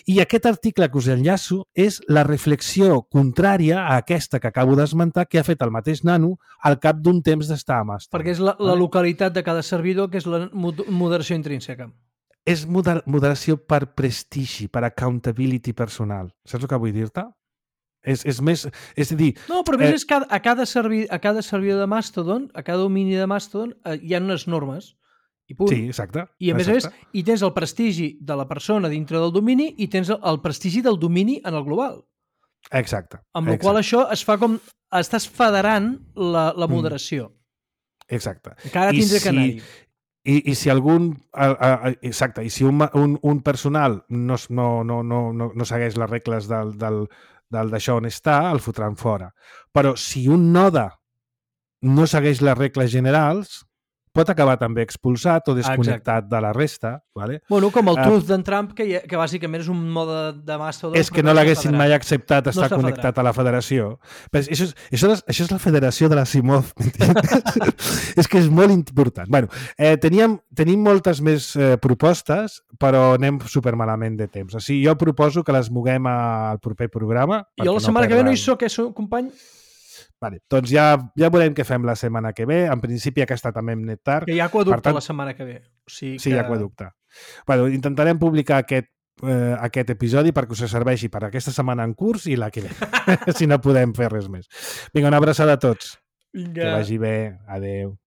I aquest article que us enllaço és la reflexió contrària a aquesta que acabo d'esmentar que ha fet el mateix nano al cap d'un temps d'estar a Mastodon. Perquè és la, la localitat de cada servidor, que és la moderació intrínseca. És moder moderació per prestigi, per accountability personal. Saps el que vull dir-te? És, és més... És a dir... No, però més eh, és que a cada, servi, a cada servidor de Mastodon, a cada domini de Mastodon, eh, hi ha unes normes. I punt. Sí, exacte. I a més exacte. a més, hi tens el prestigi de la persona dintre del domini i tens el, el prestigi del domini en el global. Exacte. Amb la exacte. qual això es fa com... Estàs federant la, la moderació. Mm. Exacte. Encara tindrà si... que anar-hi. I, I si algun... Exacte. I si un, un, un personal no, no, no, no, no segueix les regles del... del d'això on està, el fotran fora. Però si un node no segueix les regles generals, pot acabar també expulsat o desconnectat Exacte. de la resta. Vale? Bueno, com el Uh, truth d'en Trump, que, que bàsicament és un mode de Mastodon. És que no l'haguessin mai acceptat estar està connectat federat. a la federació. Però això, és, això, és, això és la federació de la Simov. És que és molt important. Bueno, eh, teníem, tenim moltes més eh, propostes, però anem supermalament de temps. O sigui, jo proposo que les moguem al proper programa. Jo la setmana que ve no hi soc, eh, company? Vale, doncs ja, ja veurem què fem la setmana que ve. En principi aquesta també hem net tard. Que hi ha aquaducte tant, la setmana que ve. O sigui sí, que... hi ha aquaducte. Bueno, intentarem publicar aquest, eh, aquest episodi perquè us serveixi per aquesta setmana en curs i la que ve, si no podem fer res més. Vinga, una abraçada a tots. Vinga. Que vagi bé. Adéu.